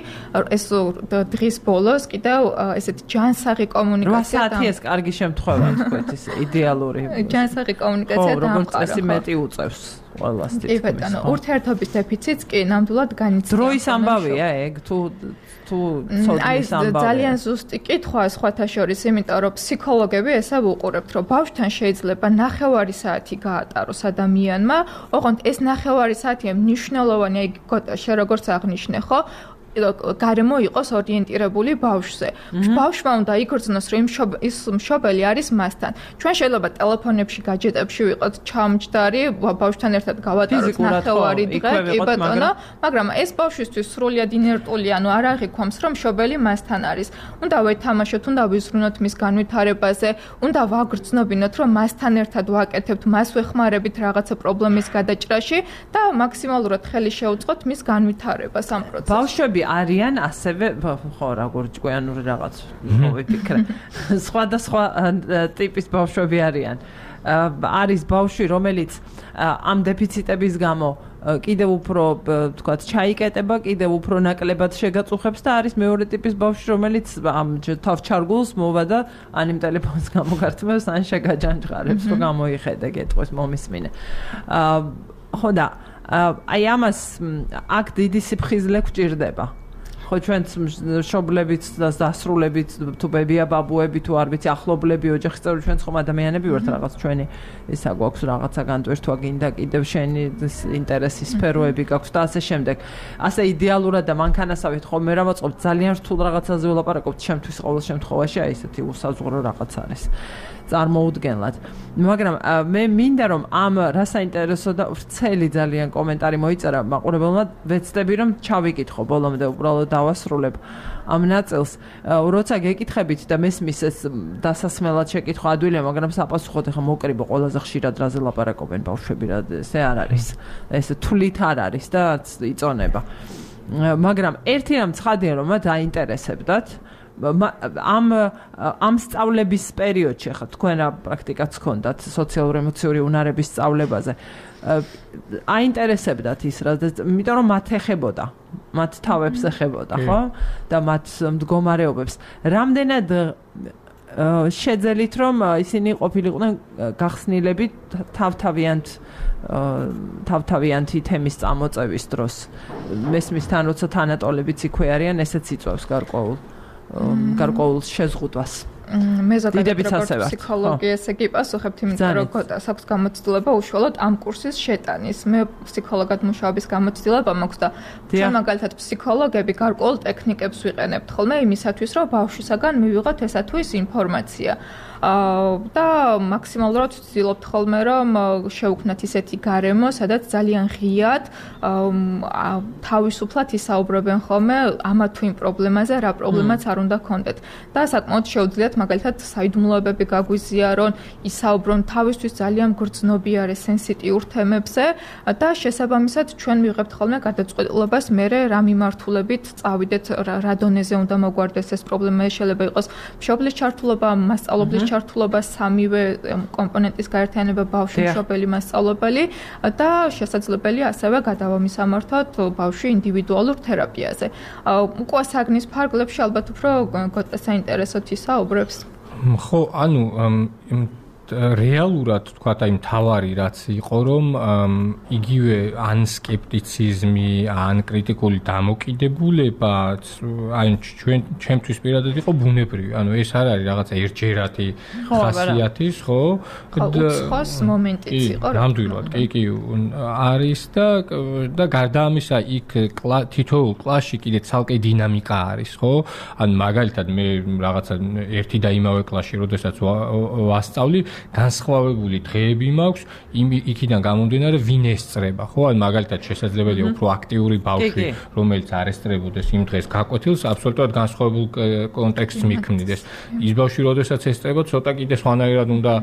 ეს დღის ბოლოს კიდევ ესეთი ჯანსაღი კომუნიკაცია რვა საათი ეს კარგი შემთხვევა თქვით, ის იდეალური ჯანსაღი კომუნიკაცია და როგორც წესი მეტი უწევს ყველას თითქმის. კი ბატონო, ურთიერთობის დეფიციტს კი ნამდვილად განიცდის. დროის ამბავია ეგ თუ თუ ცოდნის ამბავია. ძალიან ზუსტი კითხვა სხვათა შორის, იმიტომ რომ ფსიქოლოგები ესა ვუყურებთ, რომ ბავშვთან შეიძლება ნახევარი საათი გაატაროს ადამიანმა, ოღონდ ეს ნახევარი საათია მნიშვნელოვანი, აი შე როგორც აღნიშნე, ხო? გარემო იყოს ორიენტირებული ბავშვზე. ბავშვმა უნდა იგრძნოს, რომ ის მშობელი არის მასთან. ჩვენ შეიძლება ტელეფონებში, გაჯეტებში ვიყოთ ჩამჯდარი, ბავშვთან ერთად გავატაროთ ნახევარი დღე, კი ბატონო, მაგრამ ეს ბავშვისთვის სრულიად ინერტული, ანუ არ აღიქვამს, რომ მშობელი მასთან არის. უნდა ვეთამაშოთ, უნდა ვიზრუნოთ მის განვითარებაზე, უნდა ვაგრძნობინოთ, რომ მასთან ერთად ვაკეთებთ, მას ვეხმარებით რაღაცა პრობლემის გადაჭრაში და მაქსიმალურად ხელი შევუწყოთ მის განვითარებას ამ პროცესში. ბავშვები არიან ასევე ხო როგორ ჭკვიანური რაღაც მოვიფიქრე სხვადასხვა ტიპის ბავშვები არიან არის ბავშვი რომელიც ამ დეფიციტების გამო კიდევ უფრო თქვათ ჩაიკეტება კიდევ უფრო ნაკლებად შეგაწუხებს და არის მეორე ტიპის ბავშვი რომელიც ამ თავჩარგულს მოვა და ან იმ ტელეფონს გამოგართმევს ან შეგაჯანჯღარებს რომ გამოიხედე გეტყვის მომისმინე ხო და აი ამას აქ დიდი სიფხიზლე გვჭირდება ხო ჩვენ შობლებით და დასრულებით თუ ბებია ბაბუები თუ არ ვიცი ახლობლები ოჯახის წევრები ჩვენ ხომ ადამიანები ვართ რაღაც ჩვენი ისა გვაქვს რაღაცა განტვირთვა გინდა კიდევ შენი ინტერესის სფეროები გაქვს და ასე შემდეგ ასე იდეალურად და მანქანასავით ხომ მე რა მოწყობ ძალიან რთულ რაღაცაზე ვლაპარაკობთ ჩემთვის ყოველ შემთხვევაში აი ესეთი უსაზღვრო რაღაც არის წარმოუდგენლად მაგრამ მე მინდა რომ ამ რა საინტერესო და ვრცელი ძალიან კომენტარი მოიწერა მაყურებელმა ვეცდები რომ ჩავიკითხო ბოლომდე უბრალოდ დავასრულებ ამ ნაწილს როცა გეკითხებით და მესმის ეს დასასმელად შეკითხვა ადვილია მაგრამ საპასუხოდ ახლა მოკრიბო ყველაზე ხშირად რაზე ლაპარაკობენ ბავშვები რა ესე არ არის ეს თვლით არ არის და იწონება მაგრამ ერთი რამ ცხადია რომ მათ აინტერესებდათ ამ ამ სწავლების პერიოდში ხა თქვენ რა პრაქტიკაც გქონდათ სოციალურ-ემოციური უნარების სწავლებაზე აინტერესებდათ ის რა იმიტომ რომ მათ ეხებოდა მათ თავებს ეხებოდა ხო და მათ მდგომარეობებს რამდენად შეძელით რომ ისინი ყოფილიყვნენ გახსნილები თავთავიანთ თავთავიანთი თემის წამოწევის დროს მესმის თან როცა თანატოლებიც იქვე არიან ესეც იწვევს გარკვეულ გარკვეულ შეზღუდვას მე ზოგადად როგორც ფსიქოლოგი ესე კი პასუხებთ იმიტომ რომ გოტას აქვს გამოცდილება უშუალოდ ამ კურსის შეტანის მე ფსიქოლოგად მუშაობის გამოცდილება მაქვს და ჩვენ მაგალითად ფსიქოლოგები გარკვეულ ტექნიკებს ვიყენებთ ხოლმე იმისათვის რომ ბავშვისაგან მივიღოთ ესა თუ ის ინფორმაცია და მაქსიმალურად ვცდილობთ ხოლმე რომ შევქმნათ ისეთი გარემო სადაც ძალიან ღიად თავისუფლად ისაუბრებენ ხოლმე ამა თუ იმ პრობლემაზე რა პრობლემაც არ უნდა გქონდეთ და საკმაოდ შეუძლიათ მაგალითად საიდუმლოებები გაგვიზიარონ ისაუბრონ თავისთვის ძალიან გრძნობიარე სენსიტიურ თემებზე და შესაბამისად ჩვენ მივიღებთ ხოლმე გადაწყვეტილებას მერე რა მიმართულებით წავიდეთ რა დონეზე უნდა მოგვარდეს ეს პრობლემა შეიძლება იყოს მშობლის ჩართულობა მასწავლებლის ჩართულობა სამივე კომპონენტის გაერთიანება ბავშვი მშობელი მასწავლებელი და შესაძლებელია ასევე გადავამისამართოთ ბავშვი ინდივიდუალურ თერაპიაზე. უკვე საგნის ფარგლებში ალბათ უფრო საინტერესოდ ისაუბრებს. ხო, ანუ რეალურად თქვა აი მთავარი რაც იყო რომ იგივე ან სკეპტიციზმი ან კრიტიკული დამოკიდებულება აი ჩვენ ჩემთვის პირადად იყო ბუნებრივი ანუ ეს არ არის რაღაცა ერთჯერადი ხასიათის ხო უცხოს მომენტიც იყო რა ნამდვილად კი კი არის და და გარდა ამისა იქ თითოეულ კლასში კიდე ცალკე დინამიკა არის ხო ან მაგალითად მე რაღაცა ერთი და იმავე კლასში როდესაც ვასწავლი განსხვავებული დღეები მაქვს იმ იქიდან გამომდინარე ვინ ესწრება ხო ან მაგალითად შესაძლებელია უფრო აქტიური ბავშვი რომელიც არ ესწრებოდეს იმ დღეს გაკვეთილს აბსოლუტურად განსხვავებულ კონტექსტს მიქმნიდეს ის ბავშვი როდესაც ესწრება ცოტა კიდე სხვანაირად უნდა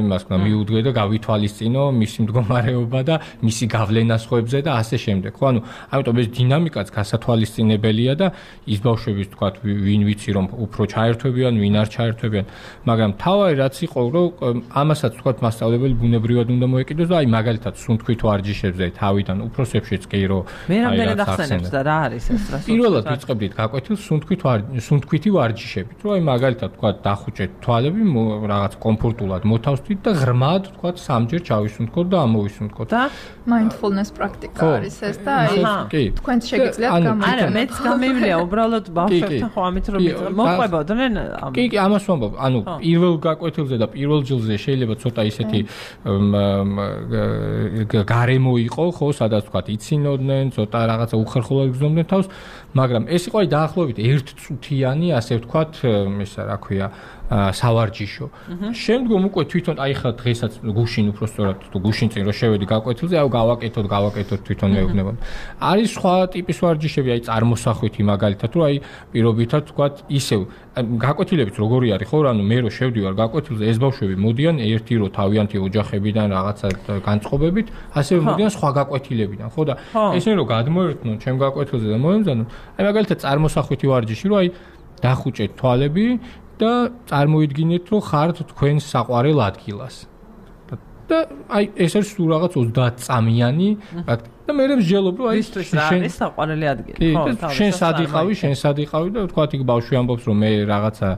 იმას თქვა მიუდგე და გავითვალისწინო მისი მდგომარეობა და მისი გავლენა სხვებზე და ასე შემდეგ ხო ანუ ამიტომ ეს დინამიკაც გასათვალისწინებელია და ის ბავშვების თქვა ვინ ვიცი რომ უფრო ჩაერთვებიან ვინ არ ჩაერთვებიან მაგრამ თავი რაც იყო რომ ამასაც თქვათ მასწავლებელი ბუნებრივად უნდა მოეკიდოს და აი მაგალითად სუნთქვით ვარჯიშებზე თავიდან უფროსებშიც კი რომ მე რამდენად ახსენებთ და რა არის ეს რა პირველად ვიწყებდით გაკვეთილს სუნთქვით სუნთქვითი ვარჯიშებით რომ აი მაგალითად თქვათ დახუჭეთ თვალები რაღაც კომფორტულად მოთავსდით და ღრმად თქვათ სამჯერ ჩავისუნთქოთ და ამოვისუნთქოთ და mindfulness პრაქტიკა არის ეს და აი თქვენც შეგიძლიათ გამოვიდეთ არა მეც გამივლია უბრალოდ ბავშვებთან ხო ამით რომ მოყვებოდნენ კი კი ამას ვამბობ ანუ პირველ გაკვეთილზე და პირველ ჯილზე შეიძლება ცოტა ისეთი გარემო იყო ხო სადაც თქვა იცინოდნენ ცოტა რაღაცა უხერხულად გრძნობდნენ თავს მაგრამ ეს იყო აი დაახლოებით ერთწუთიანი ასე ვთქვათ ისა რა ქვია სავარჯიშო. შემდგომ უკვე თვითონ აი ხა დღესაც გუშინ უფრო სწორად თუ გუშინ წინ რო შევედი გაკვეთილზე, აუ გავაკეთოთ, გავაკეთოთ თვითონ მეუბნება. არის სხვა ტიპის ვარჯიშები, აი წარმოსახვითი მაგალითად, რომ აი პირობითად თქვათ ისევ გაკვეთილებით როგორი არის ხო, ანუ მე რო შევდივარ გაკვეთილზე, ეს ბავშვები მოდიან ერთი რო თავიანთი ოჯახებიდან რაღაცა განწყობებით, ასევე მოდიან სხვა გაკვეთილებიდან, ხო და ესენი რო გადმოერთნონ ჩემ გაკვეთილზე და მოემზადონ, აი მაგალითად წარმოსახვითი ვარჯიში, რომ აი დახუჭეთ თვალები და წარმოიდგინეთ, რომ ხართ თქვენ საყვარელ ადგილას. და აი ეს არის სულ რაღაც ოცდაათ წამიანი და მე მსჯელობ, რომ აი შენ საყვარელი ადგილი. ხო, შენ სად იყავი, შენ სად იყავი და თქვათ იქ ბავშვი ამბობს, რომ მე რაღაცა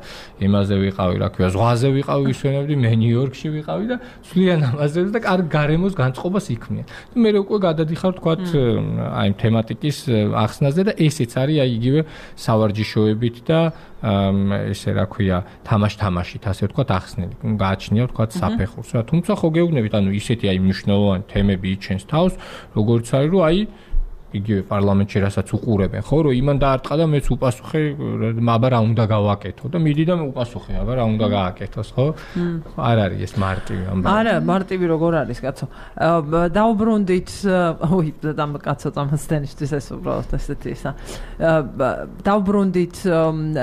იმაზე ვიყავი, რა ქვია, ზღვაზე ვიყავი, ვისვენებდი, მე ნიუ-იორკში ვიყავი და სვლიან ამაზე და კარგ გარემოს განწყობას იქმნიან. და მე უკვე გადადიხარ თქვათ აი თემატიკის ახსნაზე და ესეც არის აი იგივე სავარჯიშოებით და ესე რა ქვია, თამაშ-თამაშით, ასე ვთქვათ, ახსნილი. გააჩნია ვთქვათ საფეხურს რა. თუმცა ხო გეუბნებით, ანუ ისეთი აი მნიშვნელოვანი თემები იჩენს თავს, როგორც არის, რომ აი იგივე პარლამენტში რასაც უყურებენ, ხო, რომ იმან დაარტყა და მეც უპასუხე, აბა რა უნდა გავაკეთო და მიდი და მე უპასუხე, აბა რა უნდა გააკეთოს, ხო? არ არის ეს მარტივი ამბავი. არა, მარტივი როგორ არის, კაცო? დაუბრუნდით, ой, და კაცო წამოსდენისთვის ეს უბრალოდ ესეთი ისა. დაუბრუნდით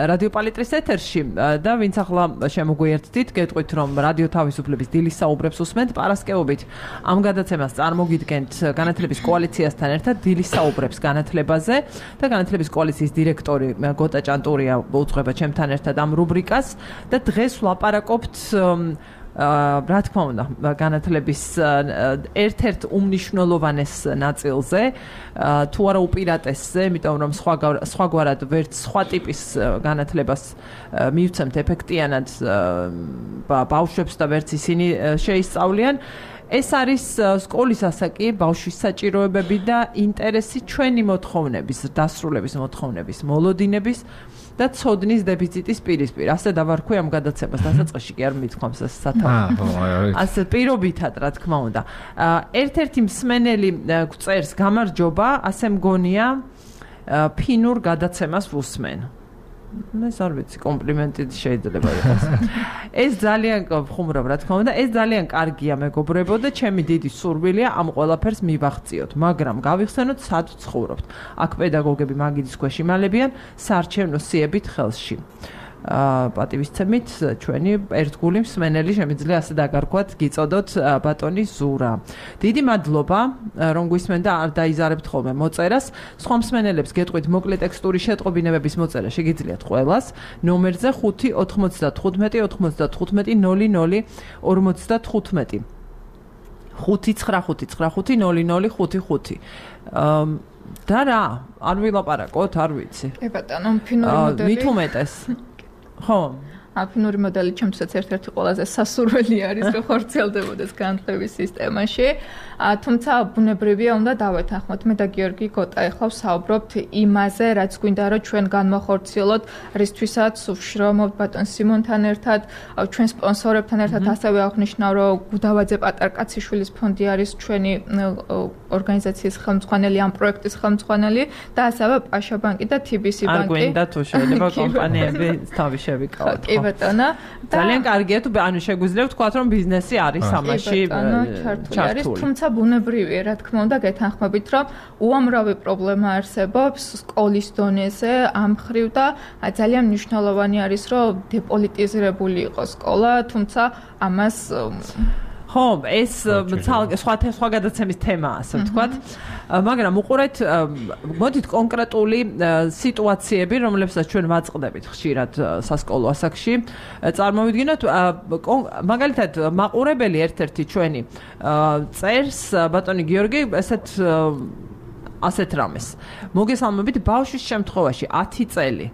რადიო პალიტრის ეთერში და ვინც ახლა შემოგვიერთდით, გეტყვით, რომ რადიო თავისუფლების დილის საუბრებს უსმენთ პარასკევობით. ამ გადაცემას წარმოგიდგენთ განათლების კოალიციასთან ერთად დილის საუბრებს განათლებაზე და განათლების კოალიციის დირექტორი გოტა ჭანტურია უძღვება ჩემთან ერთად ამ რუბრიკას და დღეს ვლაპარაკობთ რა თქმა უნდა განათლების ერთ-ერთ უმნიშვნელოვანეს ნაწილზე თუ არა უპირატესზე, იმიტომ რომ სხვა სხვაგვარად ვერც სხვა ტიპის განათლებას მივცემთ ეფექტიანად ბავშვებს და ვერც ისინი შეისწავლიან. ეს არის სკოლის ასაკი, ბავშვის საჭიროებები და ინტერესი ჩვენი მოთხოვნების, დასრულების მოთხოვნების, მოლოდინების და ცოდნის დეფიციტის პირისპირ. ასე დავარქვი ამ გადაცემას, დასაწყისში კი არ მithქვამს ეს სათავე. ასე პირობითად, რა თქმა უნდა. ერთ-ერთი მსმენელი გვწერს გამარჯობა, ასე მგონია ფინურ გადაცემას ვუსმენ. ეს არ ვიცი, კომპლიმენტი შეიძლება იყოს. ეს ძალიან ხუმრობ, რა თქმა უნდა, ეს ძალიან კარგია მეგობრებო და ჩემი დიდი სურვილია ამ ყველაფერს მივახციოთ, მაგრამ გავიხსენოთ სად ცხოვრობთ. აქ პედაგოგები მაგიდის ქვეშ იმალებიან საარჩევნო სიებით ხელში. პატივისცემით ჩვენი ერთგული მსმენელი შემიძლია ასე დაგარქვათ, გიწოდოთ ბატონი ზურა. დიდი მადლობა, რომ გვისმენ და არ დაიზარებთ ხოლმე მოწერას. სხვა მსმენელებს გეტყვით მოკლე ტექსტური შეტყობინებების მოწერა შეგიძლიათ ყველას ნომერზე ხუთი ოთხმოცდათხუთმეტი ოთხმოცდათხუთმეტი ნული ნული ორმოცდათხუთმეტი ხუთი ცხრა ხუთი ცხრა ხუთი ნული ნული ხუთი ხუთი. და რა, არ ვილაპარაკოთ, არ ვიცი. კი ბატონო, ფინური მოდელი. მით უმეტეს. ხო, აფინური მოდელი ჩემთვისაც ერთ-ერთი ყველაზე სასურველი არის, რომ ხორციელდებოდეს განათლების სისტემაში. თუმცა ბუნებრივია უნდა დავეთანხმოთ. მე და გიორგი გოტა ახლა ვსაუბრობთ იმაზე, რაც გვინდა რომ ჩვენ განვახორციელოთ, რისთვისაც ვშრომობთ ბატონ სიმონთან ერთად, ჩვენ სპონსორებთან ერთად, ასევე აღნიშნავ, რომ გუდავაძე პატარკაციშვილის ფონდი არის ჩვენი ორგანიზაციის ხელმძღვანელი, ამ პროექტის ხელმძღვანელი და ასევე პაშა ბანკი და თი ბი სი ბანკი. არ გვინდა თუ შეიძლება კომპანიები თავი შევიკავოთ. კი ბატონო. ძალიან კარგია თუ ანუ შეგვიძლია ვთქვათ, რომ ბიზნესი არის ამაში ჩართული. თუმცა ბუნებრივია, რა თქმა უნდა, გეთანხმებით, რომ უამრავი პრობლემა არსებობს სკოლის დონეზე ამ ხრივ და ძალიან მნიშვნელოვანი არის, რომ დეპოლიტიზირებული იყოს სკოლა, თუმცა ამას ხო, ეს სხვა სხვა გადაცემის თემაა, ასე ვთქვათ. მაგრამ უყურეთ, მოდით კონკრეტული სიტუაციები, რომლებსაც ჩვენ ვაწყდებით ხშირად სასკოლო ასაკში, წარმოვიდგინოთ, მაგალითად, მაყურებელი ერთ-ერთი ჩვენი წერს ბატონი გიორგი, ესეთ ასეთ რამეს. მოგესალმებით, ბავშვის შემთხვევაში ათი წელი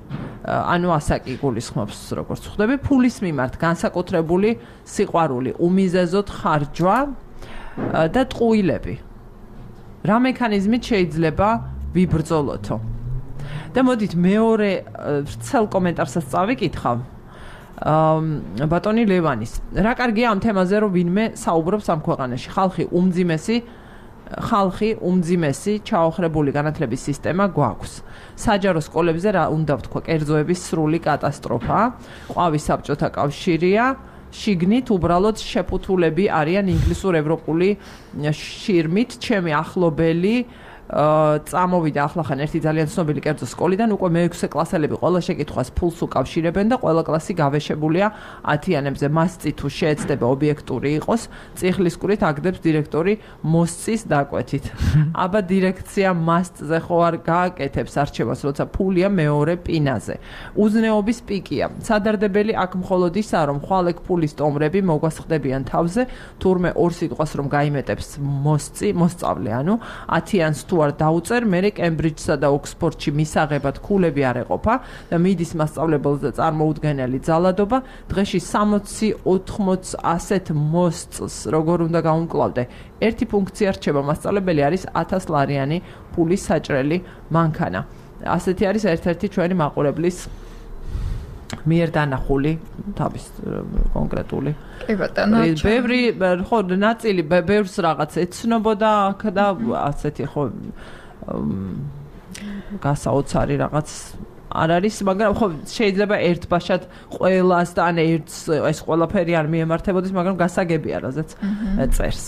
ანუ ასაკი გულისხმობს, როგორც ხვდები, ფულის მიმართ განსაკუთრებული სიყვარული, უმიზეზოდ ხარჯვა და ტყუილები. რა მექანიზმით შეიძლება ვიბრძოლოთო? და მოდით მეორე ვრცელ კომენტარსაც წავიკითხავ. ბატონი ლევანის. რა კარგია ამ თემაზე, რომ ვინმე საუბრობს ამ ქვეყანაში. ხალხი უმძიმესი ხალხი უმძიმესი ჩაოხრებული განათლების სისტემა გვაქვს. საჯარო სკოლებზე რა უნდა ვთქვა, კერძოების სრული კატასტროფა, ყვავის საბჭოთა კავშირია, შიგნით უბრალოდ შეფუთულები არიან ინგლისურ ევროპული შირმით, ჩემი ახლობელი წამოვიდა ახლახან ერთი ძალიან ცნობილი კერძო სკოლიდან, უკვე მეექვსე კლასელები ყველა შეკითხვას ფულს უკავშირებენ და ყველა კლასი გავეშებულია ათიანებზე. მასწი თუ შეეცდება ობიექტური იყოს, წიხლის კვირით აგდებს დირექტორი მოსწის დაკვეთით. აბა დირექცია მასწზე ხო არ გააკეთებს არჩევას, როცა ფულია მეორე პინაზე. უზნეობის პიკია. სადარდებელი აქ მხოლოდ ისაა, რომ ხვალექ ფულის ტომრები მოგვასხდებიან თავზე, თურმე ორ სიტყვას რომ გაიმეტებს მოსწი, მოსწავლე, ანუ ათიანს თუ არ დაუწერ, მერე კემბრიჯსა და ოქსფორდში მისაღებად ქულები არ ეყოფა და მიდის მასწავლებელზე წარმოუდგენელი ძალადობა, დღეში სამოცი ოთხმოც ასეთ მოსწს როგორ უნდა გაუმკლავდე. ერთი ფუნქცია რჩება, მასწავლებელი არის ათას ლარიანი ფულის საჭრელი მანქანა. ასეთი არის ერთ-ერთი ჩვენი მაყურებლის მიერ დანახული თავის კონკრეტული. კი ბატონო. ბევრი ხო ნაწილი ბევრს რაღაც ეცნობოდა აქ და ასეთი ხო გასაოცარი რაღაც არ არის, მაგრამ ხო შეიძლება ერთბაშად ყველას და ან ერთს ეს ყველაფერი არ მიემართებოდეს, მაგრამ გასაგებია რაზეც წერს.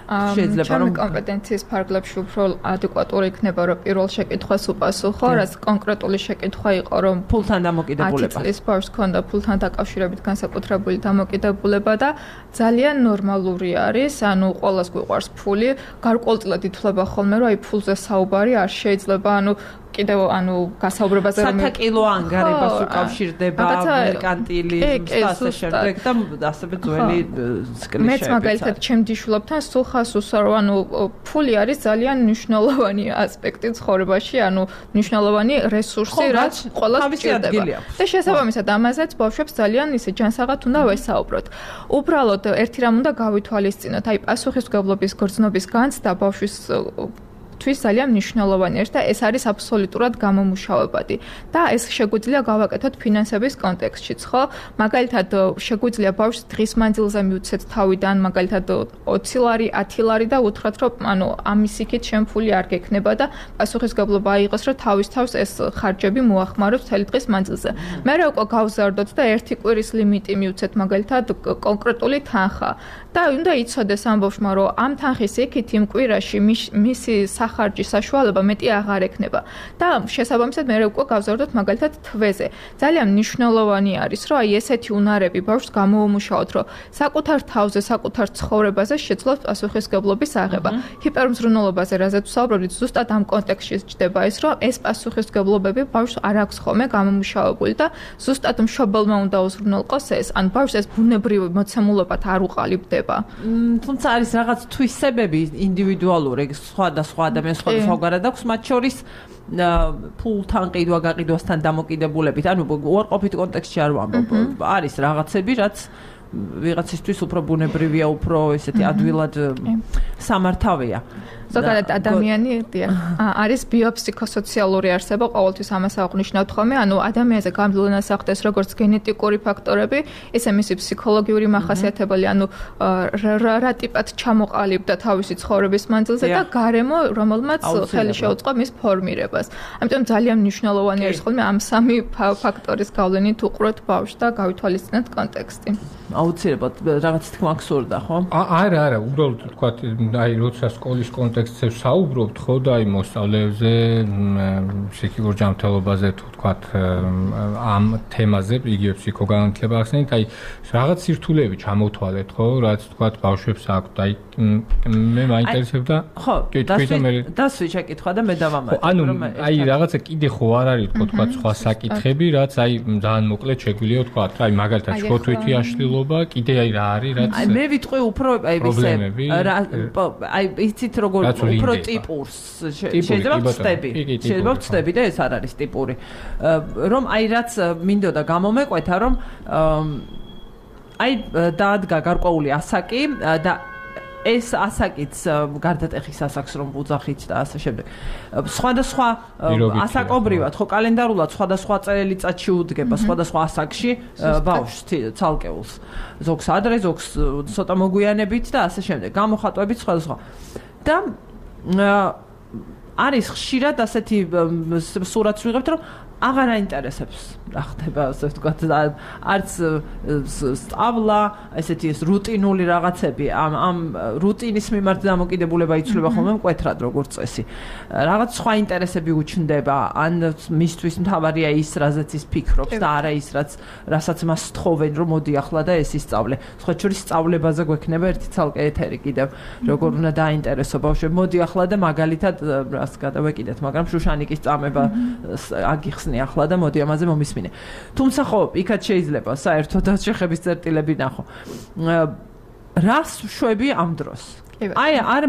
შეიძლება რომ კომპეტენციის ფარგლებში უფრო ადეკვატური იქნება, რომ პირველ შეკითხვას უპასუხო, რაც კონკრეტული შეკითხვა იყო, რომ ფულთან დამოკიდებულება. ათი წლის ბავშვს ჰქონდა ფულთან დაკავშირებით განსაკუთრებული დამოკიდებულება და ძალიან ნორმალური არის, ანუ ყველას გვიყვარს ფული, გარკვეულწილად ითვლება ხოლმე, რომ აი ფულზე საუბარი არ შეიძლება, ანუ კიდევ ანუ გასაუბრებაზე რომ სათაკილო ანგარებას უკავშირდება მერკანტილი და ასე შემდეგ და ასევე ძველი სკლიშები. მეც მაგალითად ჩემდიშვილებთან სულ ხას უსარო, ანუ ფული არის ძალიან მნიშვნელოვანი ასპექტი ცხოვრებაში, ანუ მნიშვნელოვანი რესურსი, რაც ყველას სჭირდება. და შესაბამისად ამაზეც ბავშვებს ძალიან ისე ჯანსაღად უნდა ვესაუბროთ. უბრალოდ ერთი რამ უნდა გავითვალისწინოთ, აი პასუხისმგებლობის გრძნობის განცდა ბავშვის თვის ძალიან მნიშვნელოვანი არის და ეს არის აბსოლუტურად გამომუშავებადი და ეს შეგვიძლია გავაკეთოთ ფინანსების კონტექსტშიც, ხო? მაგალითად, შეგვიძლია ბავშვს დღის მანძილზე მივცეთ თავიდან, მაგალითად ოცი ლარი, ათი ლარი და უთხრათ, რომ ანუ ამის იქით შენ ფული არ გექნება და პასუხისმგებლობა აიღოს, რომ თავის თავს ეს ხარჯები მოახმაროს მთელი დღის მანძილზე. მე რა უკვე გავზარდოთ და ერთი კვირის ლიმიტი მივცეთ, მაგალითად, კონკრეტული თანხა და უნდა იცოდეს ამ ბავშვმა, რომ ამ თანხის იქით იმ კვირაში მისი ხარჯი საშუალება მეტი აღარ ექნება და შესაბამისად მე უკვე გავზარდოთ მაგალითად თვეზე. ძალიან მნიშვნელოვანი არის, რომ აი ესეთი უნარები ბავშვს გამოუმუშაოთ, რომ საკუთარ თავზე, საკუთარ ცხოვრებაზე შეძლოს პასუხისმგებლობის აღება. ჰიპერმზრუნველობაზე, რაზეც ვსაუბრობთ, ზუსტად ამ კონტექსტში ჩდება ის, რომ ეს პასუხისმგებლობები ბავშვს არ აქვს ხოლმე გამომუშავებული და ზუსტად მშობელმა უნდა უზრუნველყოს ეს, ან ბავშვს ეს ბუნებრივი მოცემულობად არ უყალიბდება. თუმცა არის რაღაც თვისებები ინდივიდუალური, სხვა და სხვა ადამიანს სხვადასხვაგვარად აქვს, მათ შორის ფულთან ყიდვა გაყიდვასთან დამოკიდებულებით, ანუ უარყოფით კონტექსტში არ ვამბობ, არის რაღაცები, რაც ვიღაცისთვის უფრო ბუნებრივია, უფრო ესეთი ადვილად სამართავია. ზოგადად ადამიანი არის ბიოფსიქოსოციალური არსება, ყოველთვის ამას აღვნიშნავთ ხოლმე, ანუ ადამიანზე გამდლენას ახდენს როგორც გენეტიკური ფაქტორები, ისე მისი ფსიქოლოგიური მახასიათებელი, ანუ რა ტიპად ჩამოყალიბდა თავისი ცხოვრების მანძილზე და გარემო, რომელმაც ხელი შეუწყო მის ფორმირებას. ამიტომ ძალიან მნიშვნელოვანი არის ხოლმე ამ სამი ფაქტორის გავლენით უყუროთ ბავშვს და გავითვალისწინოთ კონტექსტი. აუცილებლად რაღაც თქმა გსურდა, ხო? არა, არა, უბრალოდ თქვა, აი როცა სკოლის კონტექსტზე საუბრობთ, ხო და აი მოსწავლეებზე, ფსიქიკურ ჯანმრთელობაზე თუ თქვა ამ თემაზე, იგივე ფსიქოგანათლება ახსენეთ, აი რაღაც სირთულეები ჩამოთვალეთ, ხო, რაც თქვა ბავშვებს აქვთ, აი მე მაინტერესებდა. ხო, დასვი შეკითხვა და მე დავამატებ, რომ აი რაღაცა კიდე ხო არ არის თქვა სხვა საკითხები, რაც აი ძალიან მოკლედ შეგვიძლია თქვა, აი მაგალითად შოთვითი აშლილობა, კიდე აი რა არის, რაც აი მე ვიტყვი უფრო აი ისე აი იცით როგორ უფრო ტიპურს შეიძლება ვწდები. შეიძლება ვწდები და ეს არ არის ტიპური. რომ აი რაც მინდოდა გამომეკვეთა, რომ აი დაადგა გარკვეული ასაკი და ეს ასაკიც გარდატეხის ასაკს რომ ვუძახით და ასე შემდეგ. სხვადასხვა ასაკობრივად, ხო კალენდარულად სხვადასხვა წელიწადში უდგება სხვადასხვა ასაკში ბავშვს ცალკეულს. ზოგს ადრე, ზოგს ცოტა მოგვიანებით და ასე შემდეგ. გამოხატვებით სხვადასხვა. და არის ხშირად ასეთი სურათს ვიღებთ, რომ აღარ აინტერესებს რა ხდება, ასე ვთქვათ, არც სწავლა, ესეთი ეს რუტინული რაღაცები, ამ ამ რუტინის მიმართ დამოკიდებულება იცვლება ხოლმე მკვეთრად როგორც წესი. რაღაც სხვა ინტერესები უჩნდება, ან მისთვის მთავარია ის, რაზეც ის ფიქრობს და არა ის, რაც რასაც მას სთხოვენ, რომ მოდი ახლა და ეს ისწავლე. სხვა შორის სწავლებაზე გვექნება ერთი ცალკე ეთერი კიდევ, როგორ უნდა დაინტერესო ბავშვები. მოდი ახლა და მაგალითად რას გადავეკიდეთ, მაგრამ შუშანიკის წამება აგიხსნი ახლა და მოდი ამაზე მომისმინე. თუმცა ხო, იქაც შეიძლება საერთოდ შეხების წერტილები ნახო. რას შვები ამ დროს? აი არ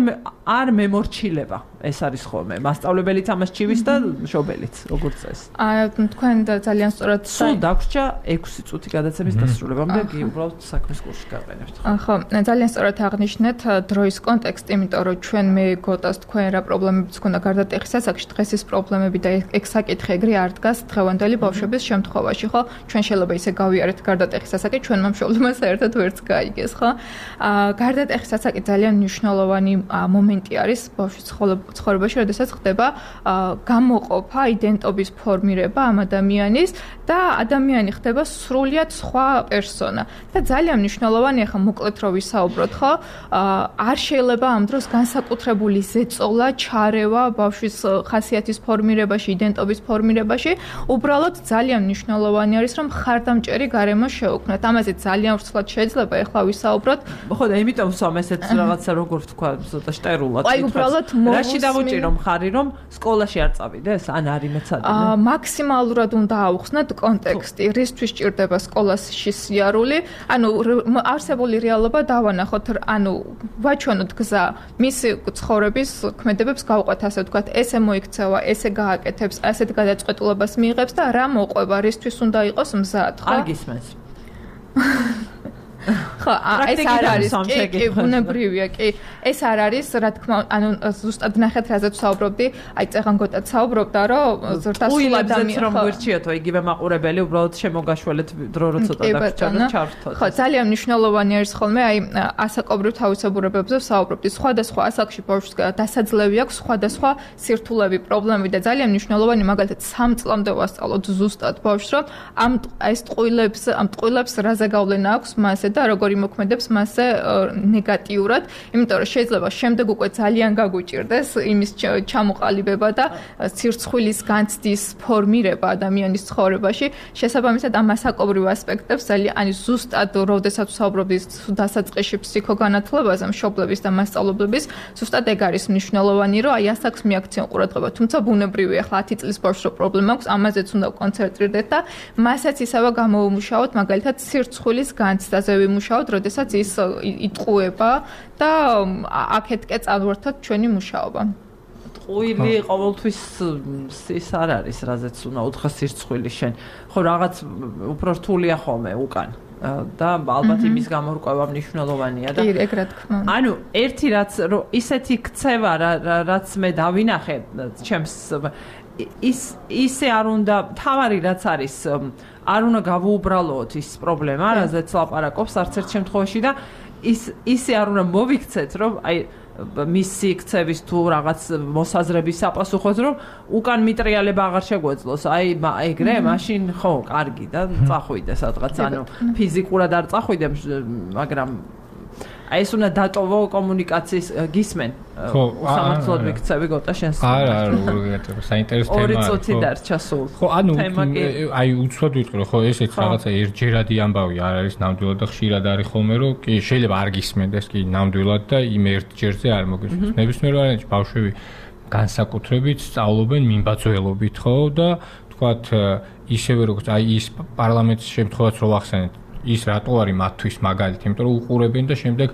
არ მემორჩილება ეს არის ხოლმე მასწავლებელიც ამას ჩივის და მშობელიც როგორც წესი. აი თქვენ ძალიან სწორად სულ დაგვრჩა ექვსი წუთი გადაცემის დასრულებამდე კი უბრალოდ საქმის კურსში გავყენებთ. ხო, ძალიან სწორად აღნიშნეთ დროის კონტექსტი, იმიტომ რომ ჩვენ მე გოტას თქვენ რა პრობლემებიც ქონდა გარდატეხის ასაკში, დღეს ეს პრობლემები და ეგ საკითხი ეგრე არ დგას დღევანდელი ბავშვების შემთხვევაში, ხო? ჩვენ შეიძლება ისე გავიარეთ გარდატეხის ასაკი, ჩვენმა მშობლებმა საერთოდ ვერც გაიგეს, ხო? აა გარდატეხის ასაკი ძალიან მნიშვნელოვანი მომენტი არის ბავშვის ცხოვრებაში, როდესაც ხდება გამოყოფა, იდენტობის ფორმირება ამ ადამიანის და ადამიანი ხდება სრულიად სხვა პერსონა. და ძალიან მნიშვნელოვანია ხა მოკლედ რო ვისაუბროთ, ხო? არ შეიძლება ამ დროს განსაკუთრებული ზეწოლა, ჩარევა ბავშვის ხასიათის ფორმირებაში, იდენტობის ფორმირებაში, უბრალოდ ძალიან მნიშვნელოვანი არის, რომ ხარდამჭერი გარემო შეუქმნათ. ამაზე ძალიან ვრცლად შეიძლება ეხლა ვისაუბროთ. ხო და იმიტომ ვსვამ ესეც რაღაცა როგორ ვთქვა, ცოტა შტერულად. აი უბრალოდ რაში დავუჭირო მხარი, რომ სკოლაში არ წავიდეს, ან არ იმეცადინე? აა მაქსიმალურად უნდა აუხსნათ კონტექსტი, რისთვის ჭირდება სკოლაში სიარული. ანუ არსებული რეალობა დავანახოთ, ანუ ვაჩვენოთ გზა მისი ცხოვრების ქმედებებს გავყვეთ, ასე ვთქვათ, ესე მოიქცევა, ესე გააკეთებს, ასეთ გადაწყვეტილებას მიიღებს და რა მოყვება, რისთვის უნდა იყოს მზად, ხო? არ გისმენს. ხო, ეს არ არის, კი, ბუნებრივია, კი. ეს არ არის, რა თქმა უნდა, ანუ ზუსტად ნახეთ, რაზეც ვსაუბრობდი, აი წეღან გოტაც საუბრობდა, რომ ზრდასრულ ადამიანს რომ გვერჩიათო, იგივე მაყურებელი, უბრალოდ შემოგაშველეთ დრო რო ცოტა დაგჭირდა და ჩავრთოთ. ხო, ძალიან მნიშვნელოვანი არის ხოლმე, აი ასაკობრივ თავისებურებებზე ვსაუბრობდი. სხვადასხვა ასაკში ბავშვს დასაძლევი აქვს სხვადასხვა სირთულეები, პრობლემები და ძალიან მნიშვნელოვანი, მაგალითად, სამ წლამდე ვასწავლოთ ზუსტად ბავშვს, რომ ამ ეს ტყუილებს, ამ ტყუილებს რაზე გავლენა აქვს მასზე და როგორ იმოქმედებს მასზე ნეგატიურად, იმიტომ რომ შეიძლება შემდეგ უკვე ძალიან გაგუჭირდეს იმის ჩამოყალიბება და ცირცხვილის განცდის ფორმირება ადამიანის ცხოვრებაში. შესაბამისად ამ ასაკობრივ ასპექტებს ძალიან ani ზუსტად როდესაც ვსაუბრობდი დასაწყისში ფსიქოგანათლებაზე მშობლების და მასწავლებლების, ზუსტად ეგ არის მნიშვნელოვანი, რომ აი ასაკს მიაქციონ ყურადღება. თუმცა ბუნებრივია, ახლა ათი წლის ბავშვს რო პრობლემა აქვს, ამაზეც უნდა კონცენტრირდეთ და მასაც ისევე გამოუმუშაოთ, მაგალითად ცირცხვილის განცდაზე ვიმუშაოთ, როდესაც ის იტყუება და აქეთკე წავერთოთ ჩვენი მუშაობა. ტყუილი ყოველთვის ის არ არის, რაზეც უნდა უთხრა სირცხვილი შენ. ხო, რაღაც უფრო რთულია ხოლმე უკან. და ალბათ იმის გამორკვევა მნიშვნელოვანია და კი, ეგ რა თქმა უნდა. ანუ ერთი რაც ისეთი ქცევა, რაც მე დავინახე ჩემს ის ისე არ უნდა თავარი რაც არის არ უნდა გავუუბრალოთ ის პრობლემა, რაზეც ლაპარაკობს არც ერთ შემთხვევაში და ის ისე არ უნდა მოვიქცეთ, რომ აი მისი ქცევის თუ რაღაც მოსაზრების საპასუხოდ, რომ უკან მიტრიალება აღარ შეგვეძლოს. აი ეგრე, მაშინ ხო, კარგი და წახვიდე სადღაც, ანუ ფიზიკურად არ წახვიდე, მაგრამ აი ეს უნდა დატოვო კომუნიკაციის გისმენ. ხო, სამართლოდ ვიქცევი გოტა შენს. არა, არა, საინტერესო თემაა. ორი წუთი დარჩა სულ. ხო, ანუ აი უცბად ვიტყვი, რომ ხო ესეც რაღაცა ერთჯერადი ამბავი არ არის ნამდვილად და ხშირად არის ხოლმე, რომ კი შეიძლება არ გისმენდეს კი ნამდვილად და იმ ერთჯერზე არ მოგისმენს. ნებისმიერ ვარიანტში ბავშვები განსაკუთრებით სწავლობენ მიმბაძველობით, ხო და თქვათ ისევე როგორც აი ის პარლამენტის შემთხვევაც რო ვახსენეთ ის რატო არის მათთვის მაგალითი, იმიტომ რომ უყურებენ და შემდეგ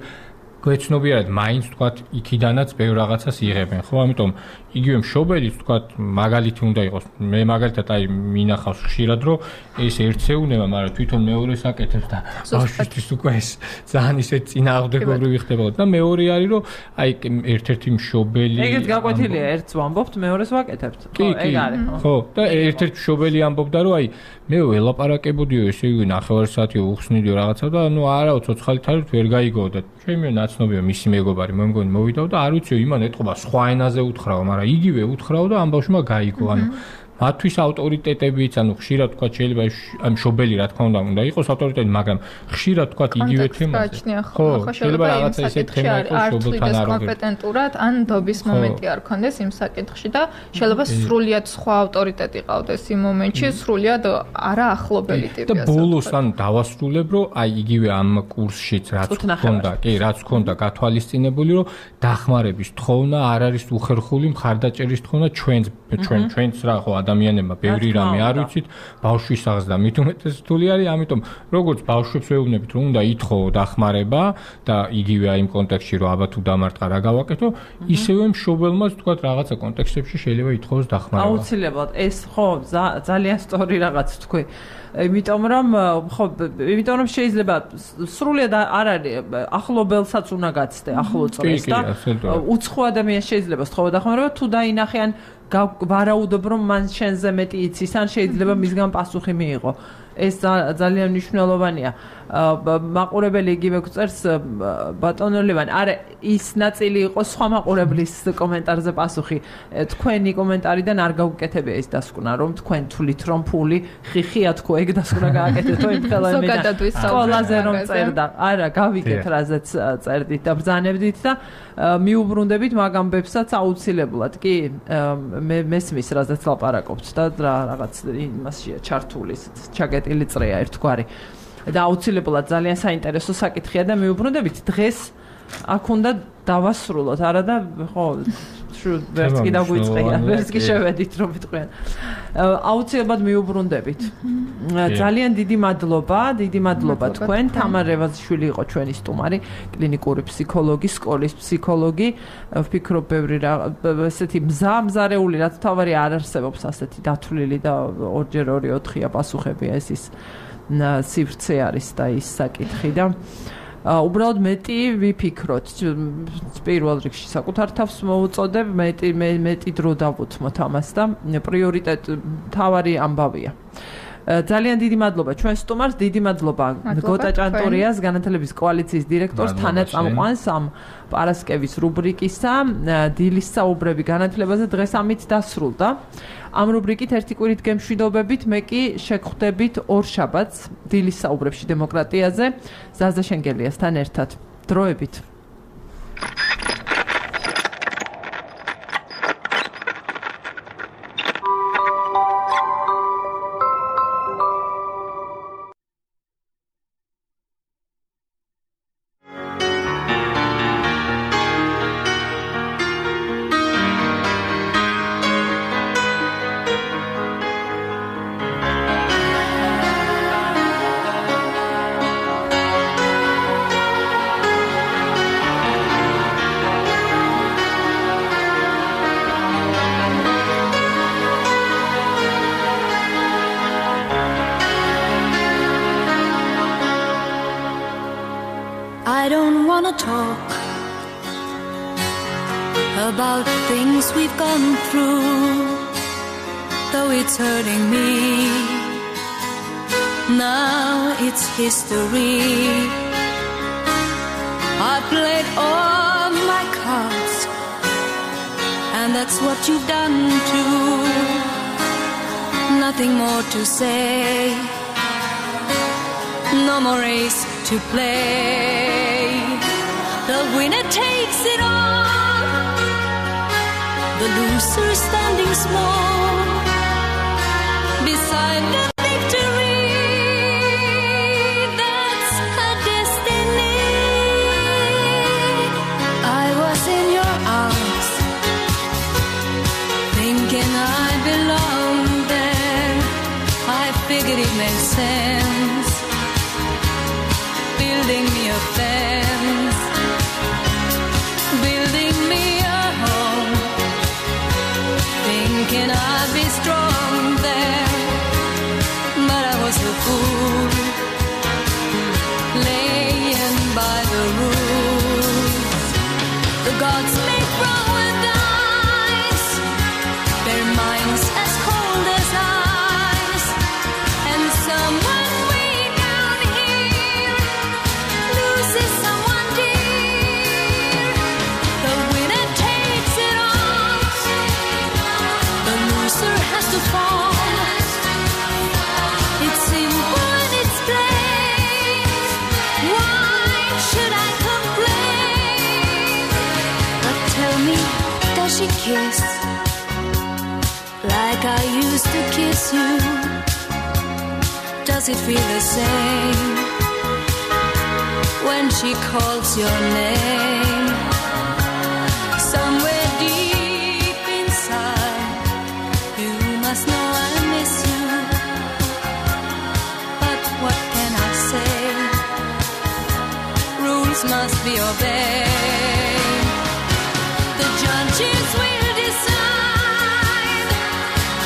გვეცნობიერად მაინც თქვათ იქიდანაც ბევრ რაღაცას იღებენ, ხო? ამიტომ იგივე მშობელიც თქვათ მაგალითი უნდა იყოს. მე მაგალითად აი მინახავს ხშირად რომ ეს ერთეუნება, მაგრამ თვითონ მეორეს აკეთებს და ბავშვისთვის უკვე ეს ძალიან ისე წინააღმდეგობრივი ხდებოდა და მეორე არის რომ აი ერთ-ერთი მშობელი ეგეთ გაკვეთილია, ერთს ვამბობთ, მეორეს ვაკეთებთ. ხო, ეგ არის. ხო, და ერთ-ერთი მშობელი ამბობდა რომ აი მე ველაპარაკებოდიო ესე იგი ნახევარ საათი უხსნიდიო რაღაცა და ანუ არაო ცოცხალით არის ვერ გაიგო და ჩემი ნაც ცნობია მისი მეგობარი მე მგონი მოვიდა და არ ვიცი იმან ეთყობა სხვა ენაზე უთხრაო, მაგრამ იგივე უთხრაო და ამ ბავშვმა გაიგო, ანუ მათთვის ავტორიტეტებიც, ანუ ხშირად თქვა შეიძლება ამ შობელი რა თქმა უნდა უნდა იყოს ავტორიტეტი, მაგრამ ხშირად თქვა იგივე თემაზე. ხო, შეიძლება რაღაცა ისეთი თემა იყოს შობელთან არ კომპეტენტურად, ან დობის მომენტი არ ქონდეს იმ საკითხში და შეიძლება სრულიად სხვა ავტორიტეტი ყავდეს იმ მომენტში, სრულიად არა ახლობელი ტიპი ასე. და ბოლოს ანუ დავასრულებ, რომ აი იგივე ამ კურსშიც რაც ქონდა, კი, რაც ქონდა გათვალისწინებული, რომ დახმარების თხოვნა არ არის უხერხული მხარდაჭერის თხოვნა ჩვენს ჩვენ ჩვენს რა ხო ადამიანებმა ბევრი რამე არ ვიცით, ბავშვის აღზრდა მით უმეტეს რთული არის, ამიტომ როგორც ბავშვებს ვეუბნებით, რომ უნდა ითხოვო დახმარება და იგივე აი იმ კონტექსტში რომ აბა თუ დამარტყა რა გავაკეთო, ისევე მშობელმაც თქვა რაღაცა კონტექსტებში შეიძლება ითხოვოს დახმარება. აუცილებლად ეს ხო ძალიან სწორი რაღაც თქვი. იმიტომ რომ ხო იმიტომ რომ შეიძლება სრულიად არ არის ახლობელსაც უნდა გაცდე ახლო წრეს და უცხო ადამიანს შეიძლება სთხოვა დახმარება თუ დაინახიან ვარაუდობ რომ მან შენზე მეტი იცის ან შეიძლება მისგან პასუხი მიიღო. ეს ძალიან მნიშვნელოვანია. მაყურებელი იგივე გვწერს ბატონო ლევან, არა ის ნაწილი იყო სხვა მაყურებლის კომენტარზე პასუხი. თქვენი კომენტარიდან არ გავუკეთებია ეს დასკვნა, რომ თქვენ თulit რომ ფული ხიხია თქო, ეგ დასკვნა გააკეთეთო იმ ხელოვნებიდან. სკოლაზე რომ წერდა. არა, გავიგეთ რაზეც წერდით და ბრძანებდით და მიუბრუნდებით მაგ ამბებსაც აუცილებლად. კი, მე მესმის რაზეც ლაპარაკობთ და რაღაც იმასია ჩართული ჩაგეტილი წრეა ერთგვარი. და აუცილებლად ძალიან საინტერესო საკითხია და მიუბრუნდებით დღეს აქ უნდა დავასრულოთ, არა და ხო ვერც კი დაგვიწყია, ვერც კი შევედით რომ ვიტყვიან. აუცილებლად მიუბრუნდებით. ძალიან დიდი მადლობა, დიდი მადლობა თქვენ. თამარ რევაზიშვილი იყო ჩვენი სტუმარი, კლინიკური ფსიქოლოგი, სკოლის ფსიქოლოგი. ვფიქრობ ბევრი რა ესეთი მზა მზარეული რაც თავარი არ არსებობს ასეთი დათვლილი და ორჯერ ორი ოთხია პასუხებია ეს ის სივრცე არის და ის საკითხი და უბრალოდ მეტი ვიფიქროთ პირველ რიგში საკუთარ თავს მოუწოდებ მეტი მეტი დრო დავუთმოთ ამას და პრიორიტეტი თავარი ამბავია. ძალიან დიდი მადლობა ჩვენ სტუმარს, დიდი მადლობა გოტა ჭანტურიას, განათლების კოალიციის დირექტორს, თანაწამყვანს ამ პარასკევის რუბრიკისა, დილის საუბრები განათლებაზე დღეს ამით დასრულდა. ამ რუბრიკით ერთი კვირით გემშვიდობებით, მე კი შეგხვდებით ორ შაბათს დილის საუბრებში დემოკრატიაზე, ზაზა შენგელიასთან ერთად. დროებით. I don't wanna talk about things we've gone through, though it's hurting me. Now it's history. I played all my cards, and that's what you've done too. Nothing more to say, no more race to play. The winner takes it all, the loser standing small beside the victory. That's her destiny. I was in your arms, thinking I belonged there. I figured it made sense, building me a fence, building me a home, thinking I'd be strong there, but I was a fool, laying by the rules. The gods may throw a dice, their minds as cold as ice, and someone way down here loses someone dear. like I used to kiss you. Does it feel the same when she calls your name? Somewhere deep inside, you must know I miss you. But what can I say? Rules must be obeyed. The judges will decide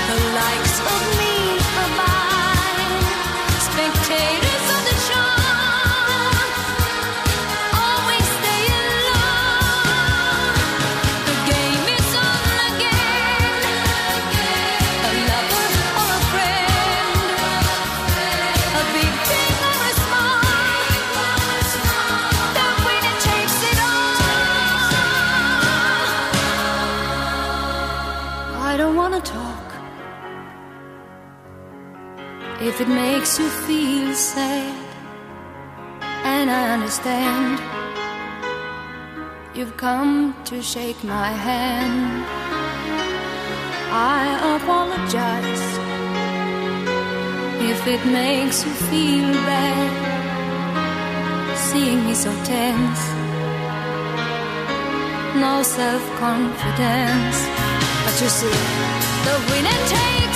the likes of me or mine. Spectators of the show always stay alone. The game is on again. A lover or a friend, a big thing or a small, the winner takes it all. I don't wanna talk if it makes you feel sad, and I understand. You've come to shake my hand. I apologize if it makes you feel bad, seeing me so tense, no self-confidence. But you see, the winner takes